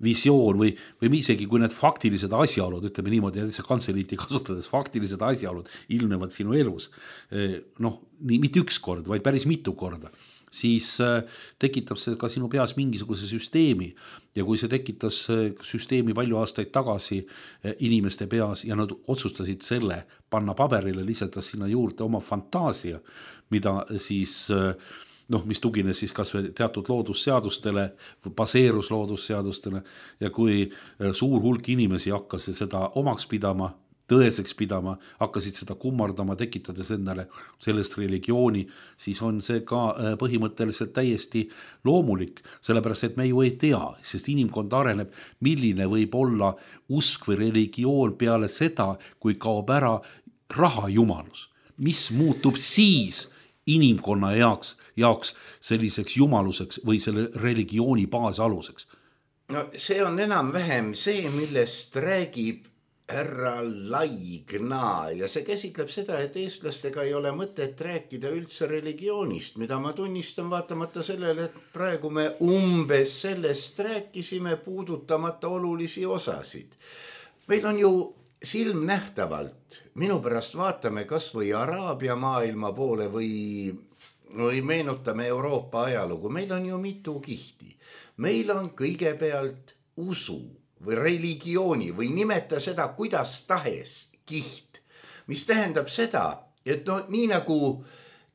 Speaker 4: visioon või isegi kui need faktilised asjaolud, ütleme niimoodi, et see kantseliiti kasutades faktilised asjaolud ilmnevad sinu elus, nii mitte üks kord, vaid päris mitu korda, siis tekitab see ka sinu peas mingisuguse süsteemi ja kui see tekitas süsteemi palju aastaid tagasi inimeste peas ja nad otsustasid selle panna paberile, lisates sinna juurde oma fantaasia, mida siis mis tugines siis kas või teatud loodusseadustele, baseerus loodusseadustele ja kui suur hulk inimesi hakkas seda omaks pidama, tõeseks pidama, hakkasid seda kummardama, tekitades endale sellest religiooni, siis on see ka põhimõtteliselt täiesti loomulik, sellepärast et me ju ei tea, sest inimkond areneb, milline võib olla usk või religioon peale seda, kui kaob ära rahajumalus. Mis muutub siis inimkonna jaoks selliseks jumaluseks või selle religiooni baasaluseks?
Speaker 3: No see on enam-vähem see, millest räägib härra Laigna ja see käsitleb seda, et eestlastega ei ole mõtet rääkida üldse religioonist, mida ma tunnistan vaatamata sellele, et praegu me umbes sellest rääkisime, puudutamata olulisi osasid. Meil on ju silmnähtavalt, minu pärast vaatame kas või Araabia maailma poole või meenutame Euroopa ajalugu, meil on ju mitu kihti. Meil on kõigepealt usu või religiooni või nimeta seda kuidas tahes kiht, mis tähendab seda, et nii nagu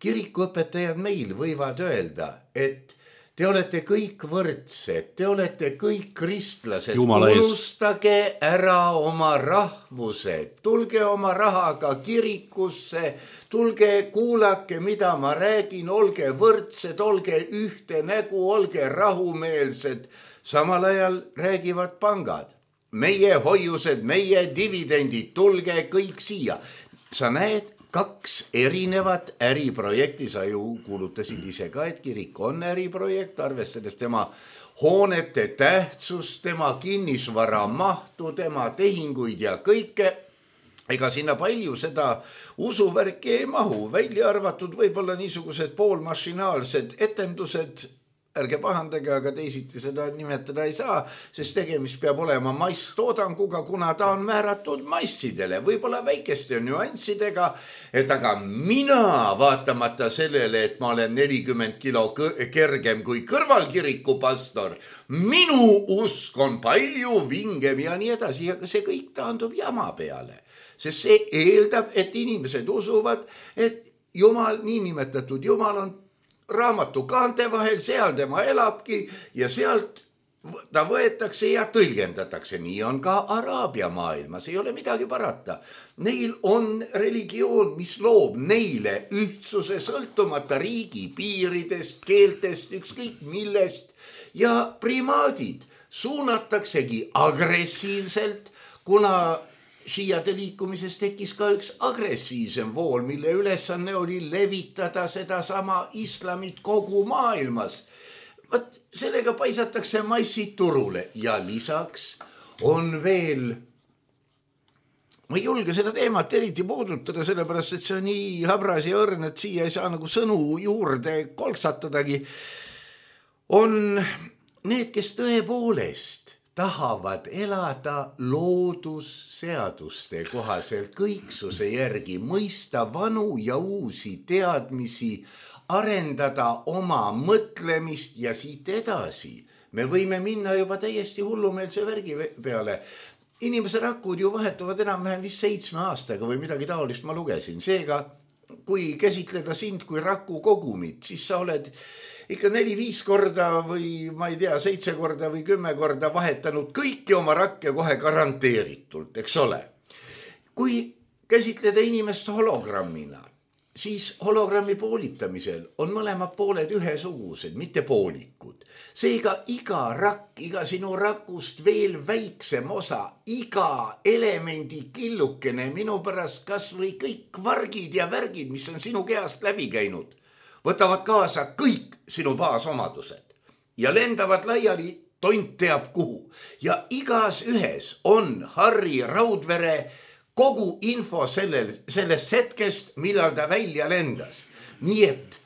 Speaker 3: kirikuõpetajad meil võivad öelda, et te olete kõik võrdsed, te olete kõik kristlased, unustage ära oma rahvused, tulge oma rahaga kirikusse, tulge kuulake, mida ma räägin, olge võrdsed, olge ühte nägu, olge rahumeelsed. Samal ajal räägivad pangad, meie hoiused, meie dividendid, tulge kõik siia. Sa näed, 2 erinevat äriprojekti, sa ju kuulutasid ise ka, et kirik on äriprojekt, arvestades tema hoonete tähtsust, tema kinnisvara mahtu, tema tehinguid ja kõike. Ega sinna palju seda usuvärki ei mahu, välja arvatud võib-olla niisugused poolmašinaalsed etendused, ärge pahandage, aga teisiti seda nimetada ei saa, sest tegemist peab olema masstoodanguga, kuna ta on määratud massidele, võib-olla väikeste nüanssidega, et aga mina vaatamata sellele, et ma olen 40 kilo kergem kui kõrvalkiriku pastor, minu usk on palju vingem ja nii edasi, ja see kõik taandub jama peale, sest see eeldab, et inimesed usuvad, et Jumal, niinimetatud Jumal on raamatu kaante vahel, seal tema elabki ja sealt ta võetakse ja tõlgendatakse. Nii on ka Araabia maailmas, ei ole midagi parata. Neil on religioon, mis loob neile ühtsuse sõltumata riigi piiridest, keeltest, ükskõik millest ja primaadid suunataksegi agressiivselt, kuna šiiade liikumises tekkis ka üks agressiivsem vool, mille ülesanne oli levitada seda sama islamit kogu maailmas. Võt, sellega paisatakse massid turule ja lisaks on veel, ma ei julge seda teemat eriti puudutada, sellepärast, et see on nii habras ja õrn, et siia ei saa nagu sõnu juurde kolksatadagi, on need, kes tõepoolest tahavad elada loodusseaduste kohaselt kõiksuse järgi, mõista vanu ja uusi teadmisi, arendada oma mõtlemist ja siit edasi. Me võime minna juba täiesti hullumeelse värgi peale. Inimese rakud ju vahetuvad enam-vähem vist 7 aastaga või midagi taolist ma lugesin. Seega, kui käsitleda sind kui raku kogumit, siis sa oled ikka 4-5 korda või ma ei tea, 7 korda või 10 korda vahetanud kõiki oma rakke kohe garanteeritult, eks ole. Kui käsitleda inimest hologrammina, siis hologrammi poolitamisel on mõlemad pooled ühesugused, mitte poolikud. Seega iga rakk, iga sinu rakust veel väiksem osa, iga elemendi killukene, minu pärast kas või kõik vargid ja värgid, mis on sinu kehast läbi käinud, võtavad kaasa kõik sinu baasomadused ja lendavad laiali tont teab kuhu. Ja igas ühes on Harri Raudvere kogu info sellest hetkest, millal ta välja lendas. Nii et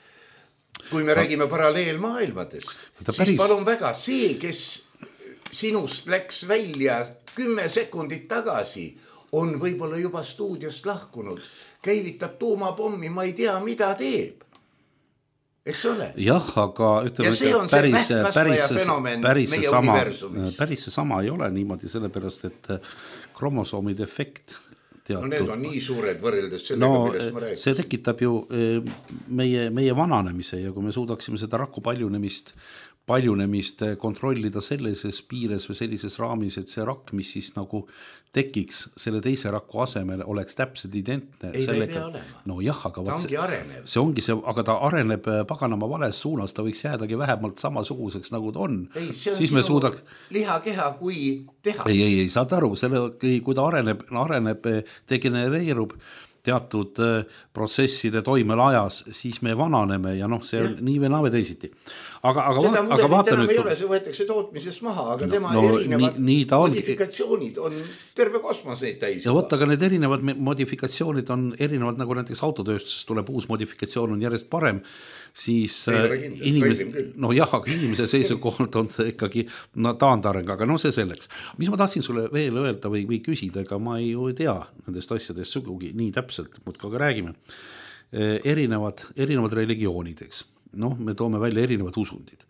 Speaker 3: kui me räägime paralleelmaailmadest, siis palun väga, see, kes sinust läks välja 10 sekundit tagasi, on võib-olla juba stuudiost lahkunud, käivitab tuumapommi, ma ei tea, mida teeb. Eks ole?
Speaker 4: Jah, aga ütleme, päris sama ei ole niimoodi, sellepärast, et kromosoomide efekt teatud.
Speaker 3: No need on nii suured võrreldes sellega, millest ma räägin.
Speaker 4: See tekitab ju meie vananemise ja kui me suudaksime seda raku paljunemist kontrollida sellises piires või sellises raamis, et see rakk, mis siis nagu tekiks selle teise raku asemel, oleks täpselt identne.
Speaker 3: Ei, ta ei pea olema.
Speaker 4: No jah, aga
Speaker 3: ta ongi arenev.
Speaker 4: See ongi see, aga ta areneb paganama vales suunas, ta võiks jäädagi vähemalt samasuguseks, nagu ta on.
Speaker 3: Ei, see on sinu lihakeha kui tehas.
Speaker 4: Ei, saad aru, kui ta areneb, degenereerub teatud protsesside toimel ajas, siis me vananeme ja see on nii või naa või teisiti. Aga vaata nüüd...
Speaker 3: ei ole, see võetakse tootmisest maha, aga tema erinevad modifikatsioonid on terve kosmos neid täis.
Speaker 4: Ja võtta, aga need erinevad modifikatsioonid on erinevad, nagu näiteks autotööstus tuleb uus modifikatsioon on järjest parem, siis inimese seisukohalt on see ikkagi taandareng, aga see selleks. Mis ma tahtsin sulle veel öelda või küsida, ega ma ei tea nendest asjadest sugugi nii täpselt, muudkui räägime. Erinevad religioonideks. Me toome välja erinevad usundid.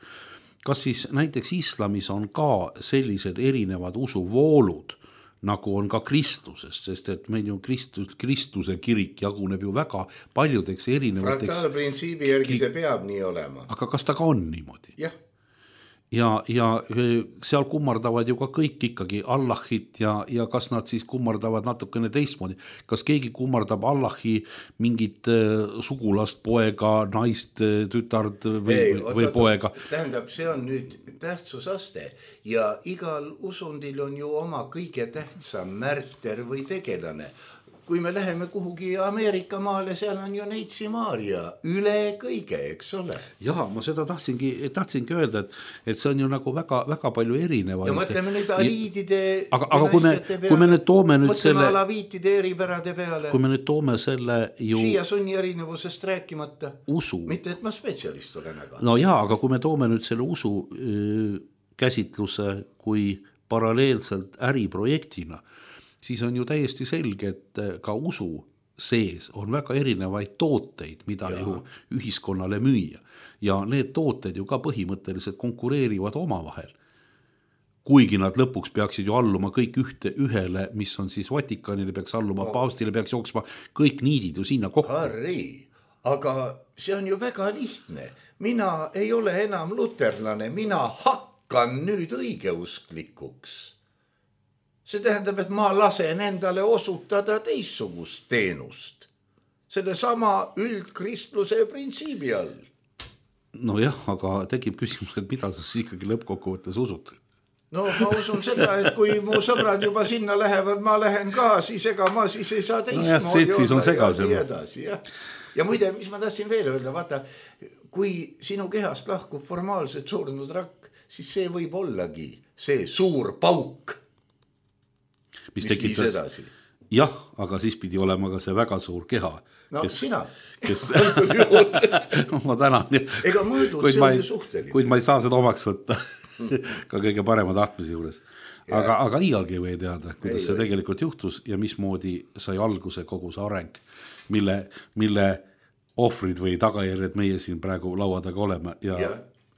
Speaker 4: Kas siis näiteks islamis on ka sellised erinevad usuvoolud, nagu on ka kristlusest, sest et meil ju kristluse kirik jaguneb ju väga paljudeks erinevateks...
Speaker 3: Fraktaalprintsiibi järgi see peab nii olema.
Speaker 4: Aga kas ta ka on niimoodi?
Speaker 3: Jah.
Speaker 4: Ja seal kummardavad ju ka kõik ikkagi Allahit ja kas nad siis kummardavad natukene teistmoodi. Kas keegi kummardab Allahi mingit sugulast, poega, naist, tütard või poega?
Speaker 3: Tähendab, see on nüüd tähtsusaste ja igal usundil on ju oma kõige tähtsam märter või tegelane. Kui me läheme kuhugi Ameerika maale, seal on ju Neitsi Maaria üle kõige, eks ole.
Speaker 4: Jah, ma seda tahtsingi öelda, et see on ju nagu väga palju erinevaid.
Speaker 3: Ja mõtleme nüüd aliidide
Speaker 4: aga kui me nüüd toome nüüd
Speaker 3: mõtleme alaviitide eripärade peale.
Speaker 4: Kui me nüüd toome selle ju...
Speaker 3: Šiia sunni erinevusest rääkimata.
Speaker 4: Usu.
Speaker 3: Mitte, et ma spetsialist olen, aga...
Speaker 4: No jaa, aga kui me toome nüüd selle usu käsitluse kui paralleelselt äriprojektina, siis on ju täiesti selge, et ka usu sees on väga erinevaid tooteid, mida ju ühiskonnale müüa. Ja need tooted ju ka põhimõtteliselt konkureerivad omavahel. Kuigi nad lõpuks peaksid ju alluma kõik ühele, mis on siis Vatikanile peaks alluma, paavstile peaks jooksma kõik niidid ju sinna kokku.
Speaker 3: Harri, aga see on ju väga lihtne. Mina ei ole enam luterlane, mina hakkan nüüd õigeusklikuks. See tähendab, et ma lasen endale osutada teissugust teenust. Selle sama üldkristluse printsiibi all.
Speaker 4: No jah, aga tekib küsimus, et mida sa siis ikkagi lõppkokkuvõttes usud?
Speaker 3: No ma usun seda, et kui mu sõbrad juba sinna lähevad, ma lähen ka, siis ega ma siis ei saa teistmoodi olla. Ja muide, mis ma tahtsin veel öelda, vaata, kui sinu kehast lahkub formaalselt surnud rakk, siis see võib ollagi see suur pauk.
Speaker 4: Mis tekitas, jah, aga siis pidi olema ka see väga suur keha.
Speaker 3: No sina.
Speaker 4: Ma tänan.
Speaker 3: Ega mõõdud, see on suhteline.
Speaker 4: Kuid ma ei saa seda omaks võtta ka kõige parema tahtmise juures. Aga iialgi ei või teada, kuidas see tegelikult juhtus ja mismoodi sai alguse kogu see areng, mille ohvrid või tagajärjed meie siin praegu laua taga oleme ja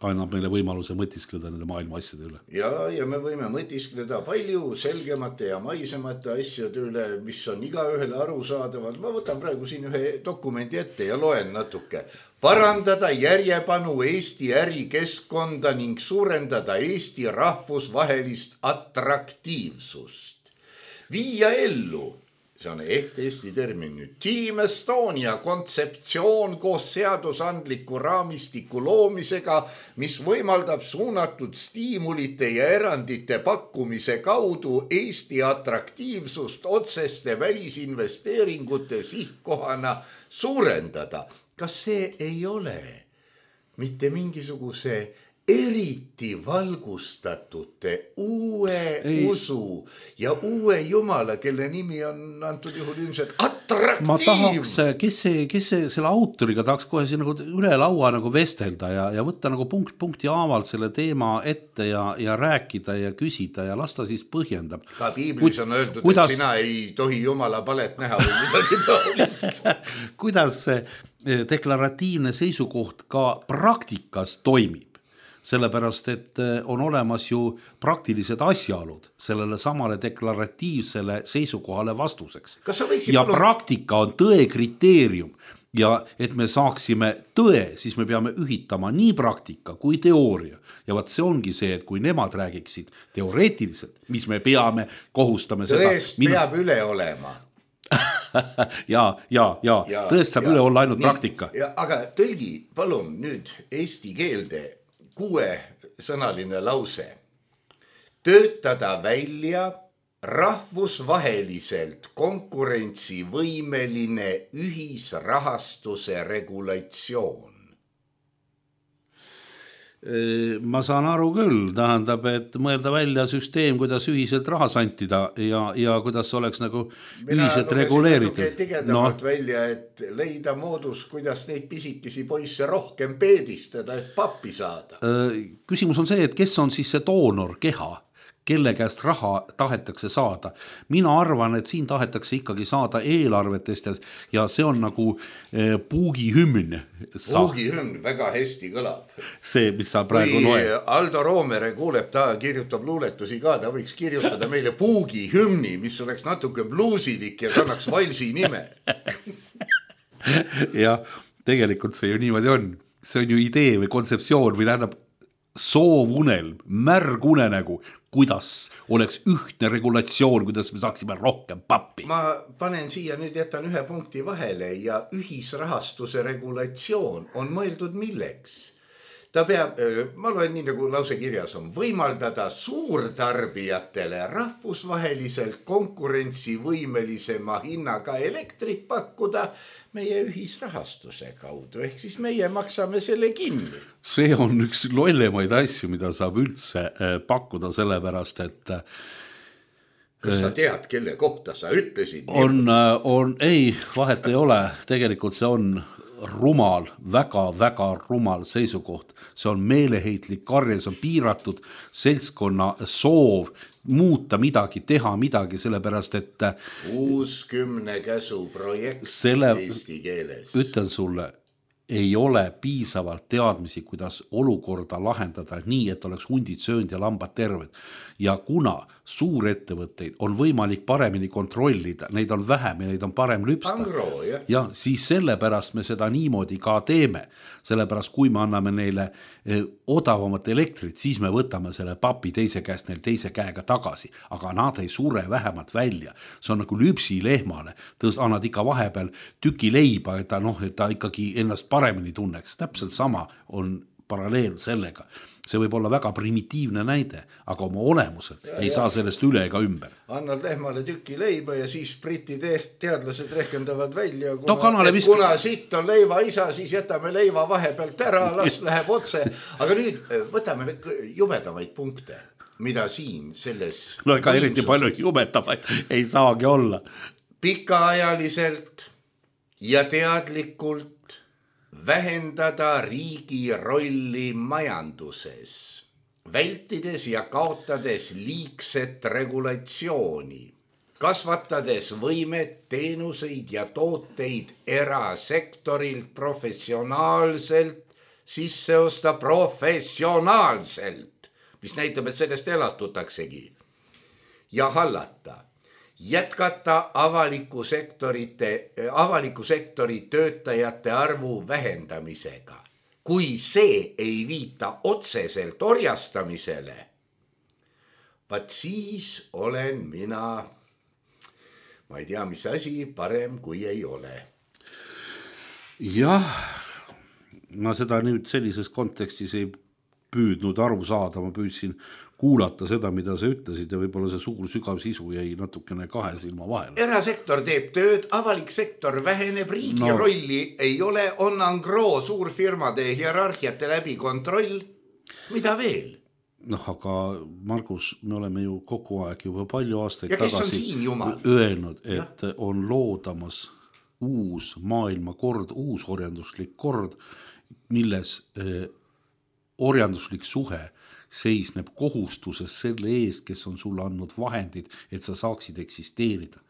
Speaker 4: annab meile võimaluse mõtiskleda nende maailma asjade üle.
Speaker 3: Ja me võime mõtiskleda palju selgemate ja maisemate asjade üle, mis on iga ühele arusaadavad. Ma võtan praegu siin ühe dokumendi ette ja loen natuke. parandada järjepanu Eesti ärikeskkonda ning suurendada Eesti rahvusvahelist atraktiivsust. Viia ellu, see on Eesti termin nüüd, Team Estonia kontseptsioon koos seadusandliku raamistiku loomisega, mis võimaldab suunatud stiimulite ja erandite pakkumise kaudu Eesti atraktiivsust otseste välisinvesteeringute sihtkohana suurendada. Kas see ei ole mitte mingisuguse eriti valgustatute usu ja uue jumala, kelle nimi on antud juhul ilmselt atraktiivne?
Speaker 4: Ma tahaks, kes see selle autoriga tahaks kohe siin nagu üle laua nagu vestelda ja võtta nagu punkti haaval selle teema ette ja rääkida ja küsida ja lasta siis põhjendab.
Speaker 3: Ka piiblis on öeldud, et sina ei tohi jumala palet näha või midagi taolist.
Speaker 4: Kuidas see deklaratiivne seisukoht ka praktikas toimib? Sellepärast, et on olemas ju praktilised asjaolud sellele samale deklaratiivsele seisukohale vastuseks. Ja praktika on tõe kriteerium ja et me saaksime tõe, siis me peame ühitama nii praktika kui teooria. Ja vaat see ongi see, et kui nemad räägiksid teoreetiliselt, mis me peame, kohustame seda.
Speaker 3: Tõest peab üle olema.
Speaker 4: ja tõest saab üle olla ainult praktika.
Speaker 3: Aga tõlgi, palun nüüd eesti keelde 6-sõnaline lause. Töötada välja rahvusvaheliselt konkurentsivõimeline ühisrahastuse regulatsioon.
Speaker 4: Ma saan aru küll, tähendab, et mõelda välja süsteem, kuidas ühiselt raha santida ja kuidas oleks nagu ühiselt reguleeritud.
Speaker 3: Mina tigedamalt välja, et leida moodus, kuidas neid pisikesi poisse rohkem peedistada, et pappi saada.
Speaker 4: Küsimus on see, et kes on siis see doonor keha, kelle käest raha tahetakse saada. Mina arvan, et siin tahetakse ikkagi saada eelarvetest ja see on nagu puugihümn.
Speaker 3: Puugihümn väga hästi kõlab.
Speaker 4: See, mis sa praegu loed.
Speaker 3: Kui Aldo Roomere kuuleb, ta kirjutab luuletusi ka, ta võiks kirjutada meile puugihümni, mis oleks natuke bluusilik ja kannaks valsi nime.
Speaker 4: Ja tegelikult see ju niimoodi on. See on ju idee või kontseptsioon või tähendab soovunelm, märgunenägu, kuidas oleks ühtne regulatsioon, kuidas me saaksime rohkem pappi.
Speaker 3: Ma panen siia nüüd, jätan ühe punkti vahele ja ühisrahastuse regulatsioon on mõeldud milleks? Ta peab, ma loen nii nagu lause kirjas on, võimaldada suurtarbijatele rahvusvaheliselt konkurentsivõimelisema hinnaga elektrit pakkuda meie ühisrahastuse kaudu, ehk siis meie maksame selle kinni.
Speaker 4: See on üks lollemaid asju, mida saab üldse pakkuda sellepärast, et
Speaker 3: kas sa tead, kelle kohta sa ütlesid?
Speaker 4: Ei, vahet ei ole, tegelikult see on rumal, väga rumal seisukoht. See on meeleheitlik karje, see on piiratud seltskonna soov muuta midagi, teha midagi, sellepärast, et
Speaker 3: 60 käsu projekt eesti keeles.
Speaker 4: Ütlen sulle, ei ole piisavalt teadmisi, kuidas olukorda lahendada nii, et oleks hundid söönud ja lambad terved. Ja kuna suurettevõtteid on võimalik paremini kontrollida, neid on vähem ja neid on parem lüpsta. Ja siis sellepärast me seda niimoodi ka teeme. Sellepärast, kui me anname neile odavamat elektrit, siis me võtame selle papi teise käest neil teise käega tagasi. Aga nad ei sure vähemalt välja. See on nagu lüpsi lehmale. Annad ikka vahepeal tüki leiba, et ta ikkagi ennast paremini tunneks. Täpselt sama on paralleel sellega. See võib olla väga primitiivne näide, aga oma olemusel ei saa sellest üle ega ümber.
Speaker 3: Annad lehmale tüki leiba ja siis briti teadlased rehkendavad välja, kuna sitt on leiva isa, siis jätame leiva vahepealt ära, las läheb otse. Aga nüüd võtame jubedamaid punkte, mida siin selles...
Speaker 4: No ega eriti palju jubedamaid ei saagi olla.
Speaker 3: Pikaajaliselt ja teadlikult vähendada riigi rolli majanduses, vältides ja kaotades liigset regulatsiooni, kasvatades võimet teenuseid ja tooteid erasektorilt professionaalselt sisse osta professionaalselt, mis näitab, et sellest elatutaksegi, ja hallata jätkata avaliku sektori töötajate arvu vähendamisega. Kui see ei viita otseselt orjastamisele, vaat siis olen mina, ma ei tea, mis asi, parem kui ei ole.
Speaker 4: Jah, ma seda nüüd sellises kontekstis ei püüdnud aru saada, ma püüdsin kuulata seda, mida sa ütlesid ja võib-olla see suur sügav sisu jäi natukene kahe silma vahele.
Speaker 3: Erasektor teeb tööd, avalik sektor väheneb, riigi rolli ei ole, on angro suurfirmade hierarhiate läbi kontroll. Mida veel?
Speaker 4: Aga Margus, me oleme ju kogu aeg juba palju aastaid
Speaker 3: ja kes
Speaker 4: tagasi
Speaker 3: on siin jumal?
Speaker 4: Öelnud, et on loodamas uus maailmakord, uus orjanduslik kord, milles orjanduslik suhe seisneb kohustuses selle eest, kes on sulle andnud vahendid, et sa saaksid eksisteerida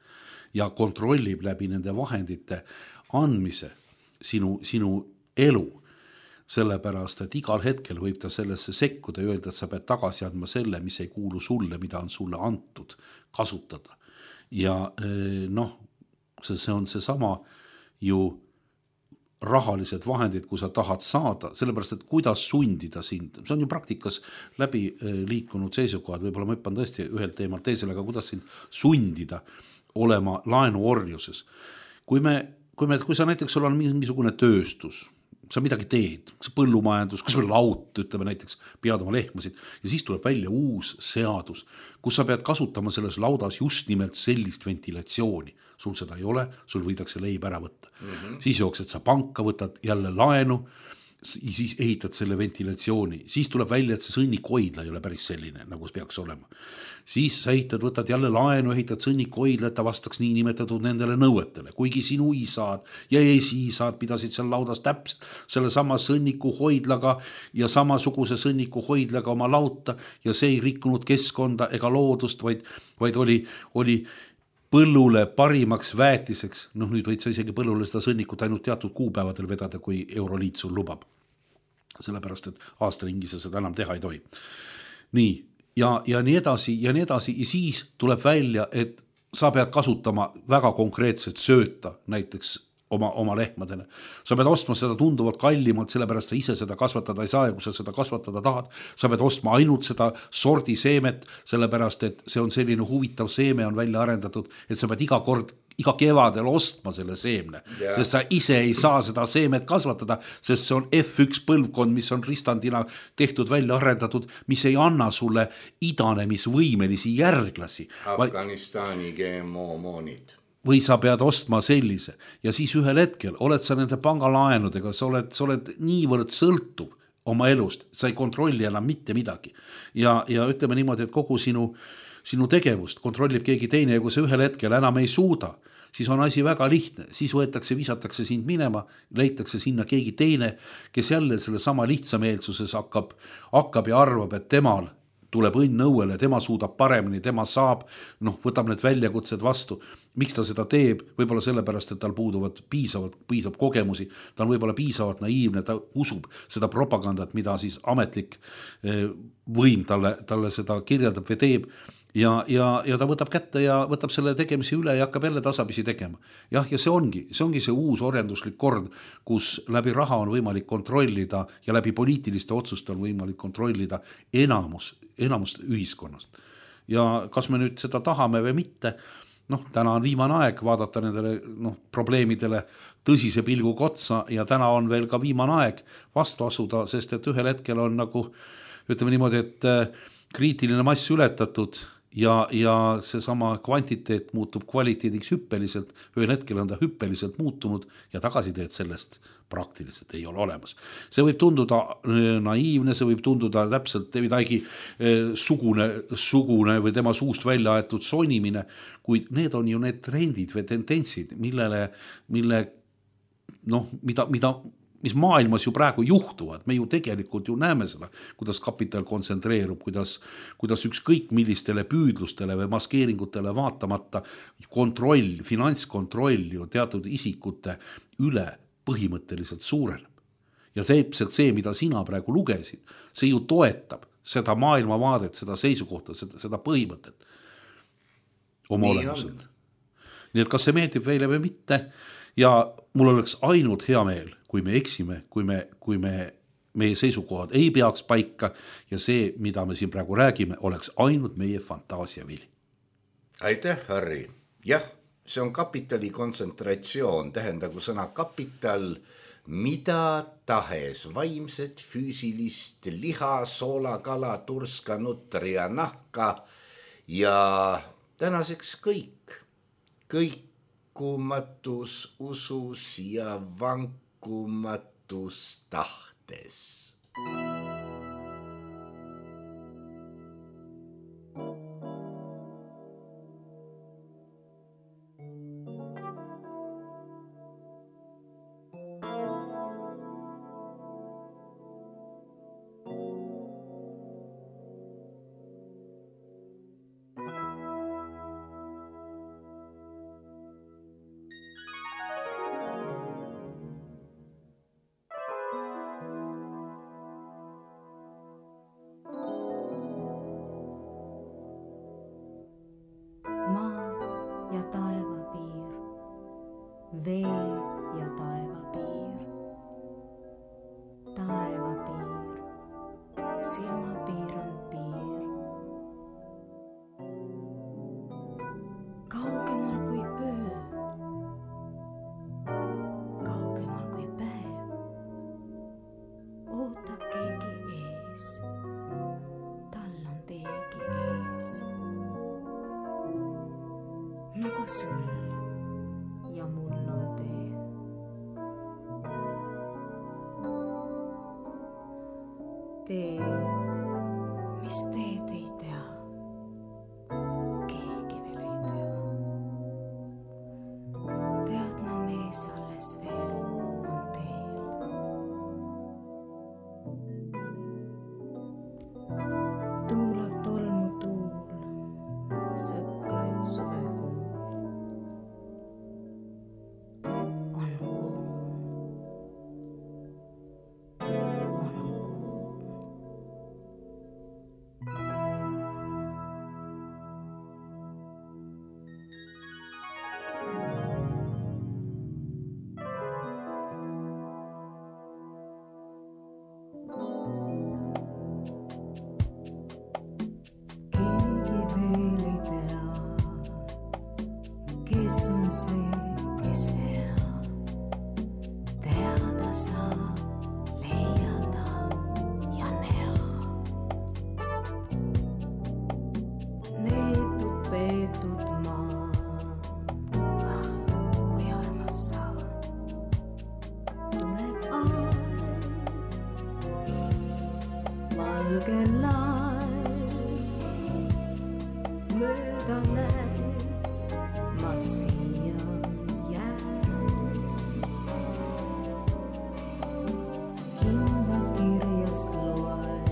Speaker 4: ja kontrollib läbi nende vahendite andmise sinu elu. Sellepärast, et igal hetkel võib ta sellesse sekkuda ja öelda, et sa pead tagasi andma selle, mis ei kuulu sulle, mida on sulle antud kasutada. Ja see on seesama ju rahalised vahendid, kui sa tahad saada, sellepärast, et kuidas sundida sind. See on ju praktikas läbi liikunud seisukohad, võib-olla ma hüppan tõesti ühelt teemalt teisele, aga kuidas sind sundida olema laenuorjuses. Kui sa näiteks sul on mingisugune tööstus, sa midagi teed, kas põllumajandus, kas või laut, ütleme näiteks, pead oma lehmasid ja siis tuleb välja uus seadus, kus sa pead kasutama selles laudas just nimelt sellist ventilatsiooni. Sul seda ei ole, sul võidakse leib ära võtta. Siis jooksed sa panka, võtad jälle laenu, siis ehitad selle ventilatsiooni. Siis tuleb välja, et see sõnnikoidla ei ole päris selline, nagu see peaks olema. Siis sa võtad jälle laenu, ehitad sõnnikoidla, et ta vastaks nii nimetatud nendele nõuetele. Kuigi sinu isad ja esiisad pidasid seal laudas täpselt selle sama sõnnikuhoidlaga ja samasuguse sõnnikuhoidlaga oma lauta ja see ei rikkunud keskkonda ega loodust, vaid oli põllule parimaks väetiseks. Nüüd võid sa isegi põllule seda sõnnikut ainult teatud kuupäevadel vedada, kui Euroliit sul lubab. Sellepärast, et aastaringi sa seda enam teha ei tohi. Nii, ja nii edasi ja siis tuleb välja, et sa pead kasutama väga konkreetset sööta, näiteks oma lehmadele. Sa pead ostma seda tunduvalt kallimalt, sellepärast sa ise seda kasvatada ei saa ja kui sa seda kasvatada tahad, sa pead ostma ainult seda sordi seemet, sellepärast et see on selline huvitav seeme on välja arendatud, et sa pead iga kevadel ostma selle seemne, sest sa ise ei saa seda seemet kasvatada, sest see on F1 põlvkond, mis on ristandina tehtud välja arendatud, mis ei anna sulle idanemisvõimelisi järglasi.
Speaker 3: Afganistani GMO-moonid.
Speaker 4: Või sa pead ostma sellise ja siis ühel hetkel oled sa nende pangalaenudega, sa oled niivõrd sõltuv oma elust, sa ei kontrolli enam mitte midagi ja ütleme niimoodi, et kogu sinu tegevust kontrollib keegi teine ja kui sa ühel hetkel enam ei suuda, siis on asi väga lihtne, siis visatakse sind minema, leitakse sinna keegi teine, kes jälle selle sama lihtsameelsuses hakkab ja arvab, et temal tuleb õnn õuele, tema suudab paremini, tema saab, võtab need väljakutsed vastu. Miks ta seda teeb? Võib-olla sellepärast, et tal puuduvad piisavalt kogemusi, ta on võib-olla piisavalt naiivne, ta usub seda propagandat, mida siis ametlik võim talle seda kirjeldab või teeb ja ta võtab kätte ja võtab selle tegemisi üle ja hakkab jälle tasapisi tegema. Ja see ongi see uus orjanduslik kord, kus läbi raha on võimalik kontrollida ja läbi poliitiliste otsuste on võimalik kontrollida enamust ühiskonnast. Ja kas me nüüd seda tahame või mitte, täna on viimane aeg vaadata nendele probleemidele tõsise pilguga otsa ja täna on veel ka viimane aeg vastu asuda, sest et ühel hetkel on ütleme niimoodi, et kriitiline mass ületatud ja seesama kvantiteet muutub kvaliteediks hüppeliselt, ühel hetkel on ta hüppeliselt muutunud ja tagasiteed sellest praktiliselt ei ole olemas. See võib tunduda naiivne, see võib tunduda täpselt midagi sugune või tema suust välja aetud sonimine, kuid need on ju need trendid või tendentsid, mis maailmas ju praegu juhtuvad. Me ju tegelikult ju näeme seda, kuidas kapital kontsentreerub, kuidas ükskõik millistele püüdlustele või maskeeringutele vaatamata finantskontroll ju teatud isikute üle põhimõtteliselt suureneb. Ja täpselt see, mida sina praegu lugesid, see ju toetab seda maailmavaadet, seda seisukohta, seda põhimõtet. oma olemuselt. Nii et kas see meeldib meile või mitte ja mul oleks ainult hea meel, kui me eksime, kui meie seisukohad ei peaks paika ja see, mida me siin praegu räägime, oleks ainult meie fantaasia vili.
Speaker 3: Aitäh, Harri. Jah, see on kapitali kontsentratsioon, tähendagu sõna kapital, mida tahes, vaimset, füüsilist, liha, soola, kala, turska, nutria, nahka ja tänaseks kõik. Kõikumatus usus ja vankumatus tahtes.
Speaker 5: Vee ja taevapiir, taevapiir, silmapiir on piir. Kaugemal kui öö, kaugemal kui päev, ootab keegi ees, tal on teegi ees. Nagu sul ja mul on tee. Tee, mis teed ei tea, keegi veel ei tea. Teadma mees alles veel on teel. Tuulab tolmu tuul, sõklaid suvekuul. Kes on see, kes hea, teada saab, leiada ja näha. Neetud, peetud maa, kui armas sa. Tuleb aeg, valge laev, mööda näeb. Ma siia jään, hinda kirjast loen,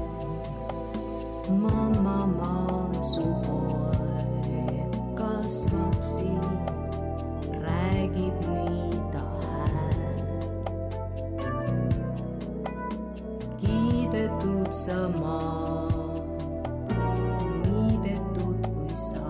Speaker 5: mamma maasu poeg kasvab siin, räägib mida hääl. Kiidetud sa maa, niidetud kui saad.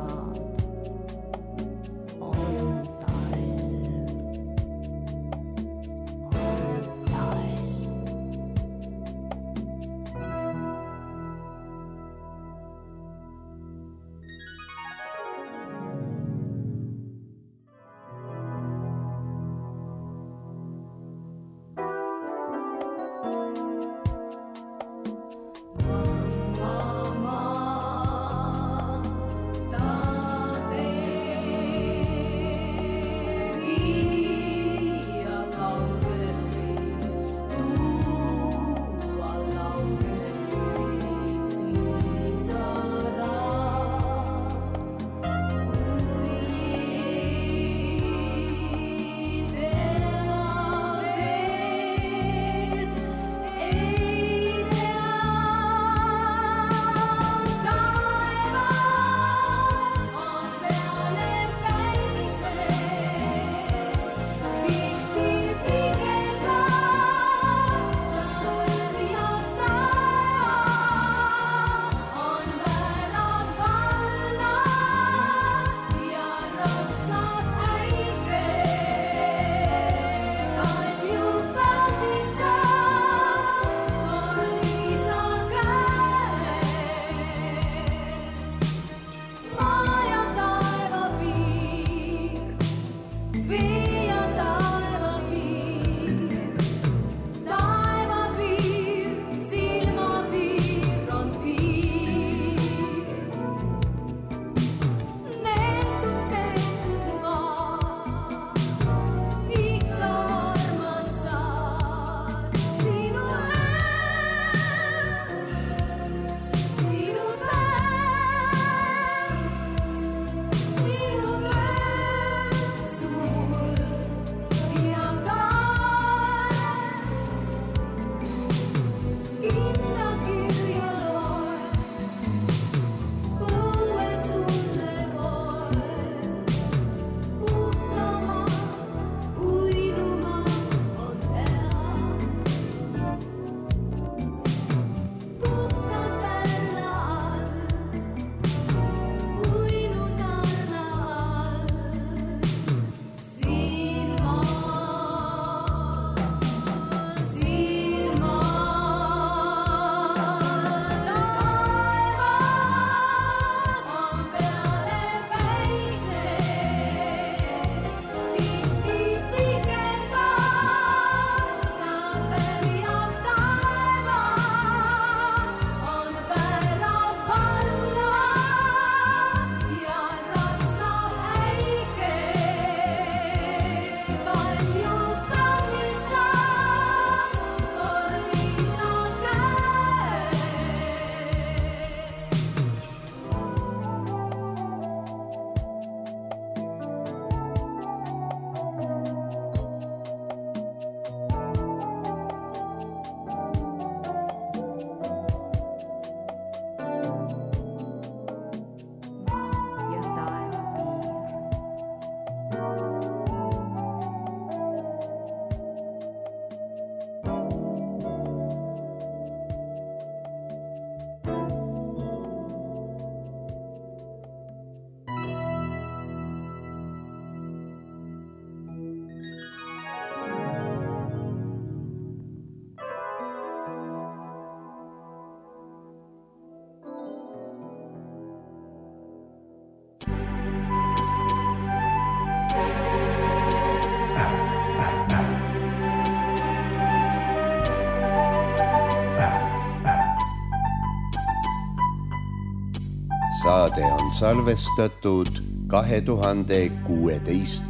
Speaker 6: saade on salvestatud 2016.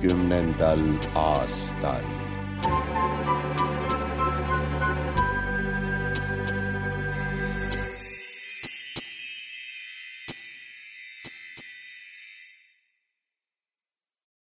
Speaker 6: aastal.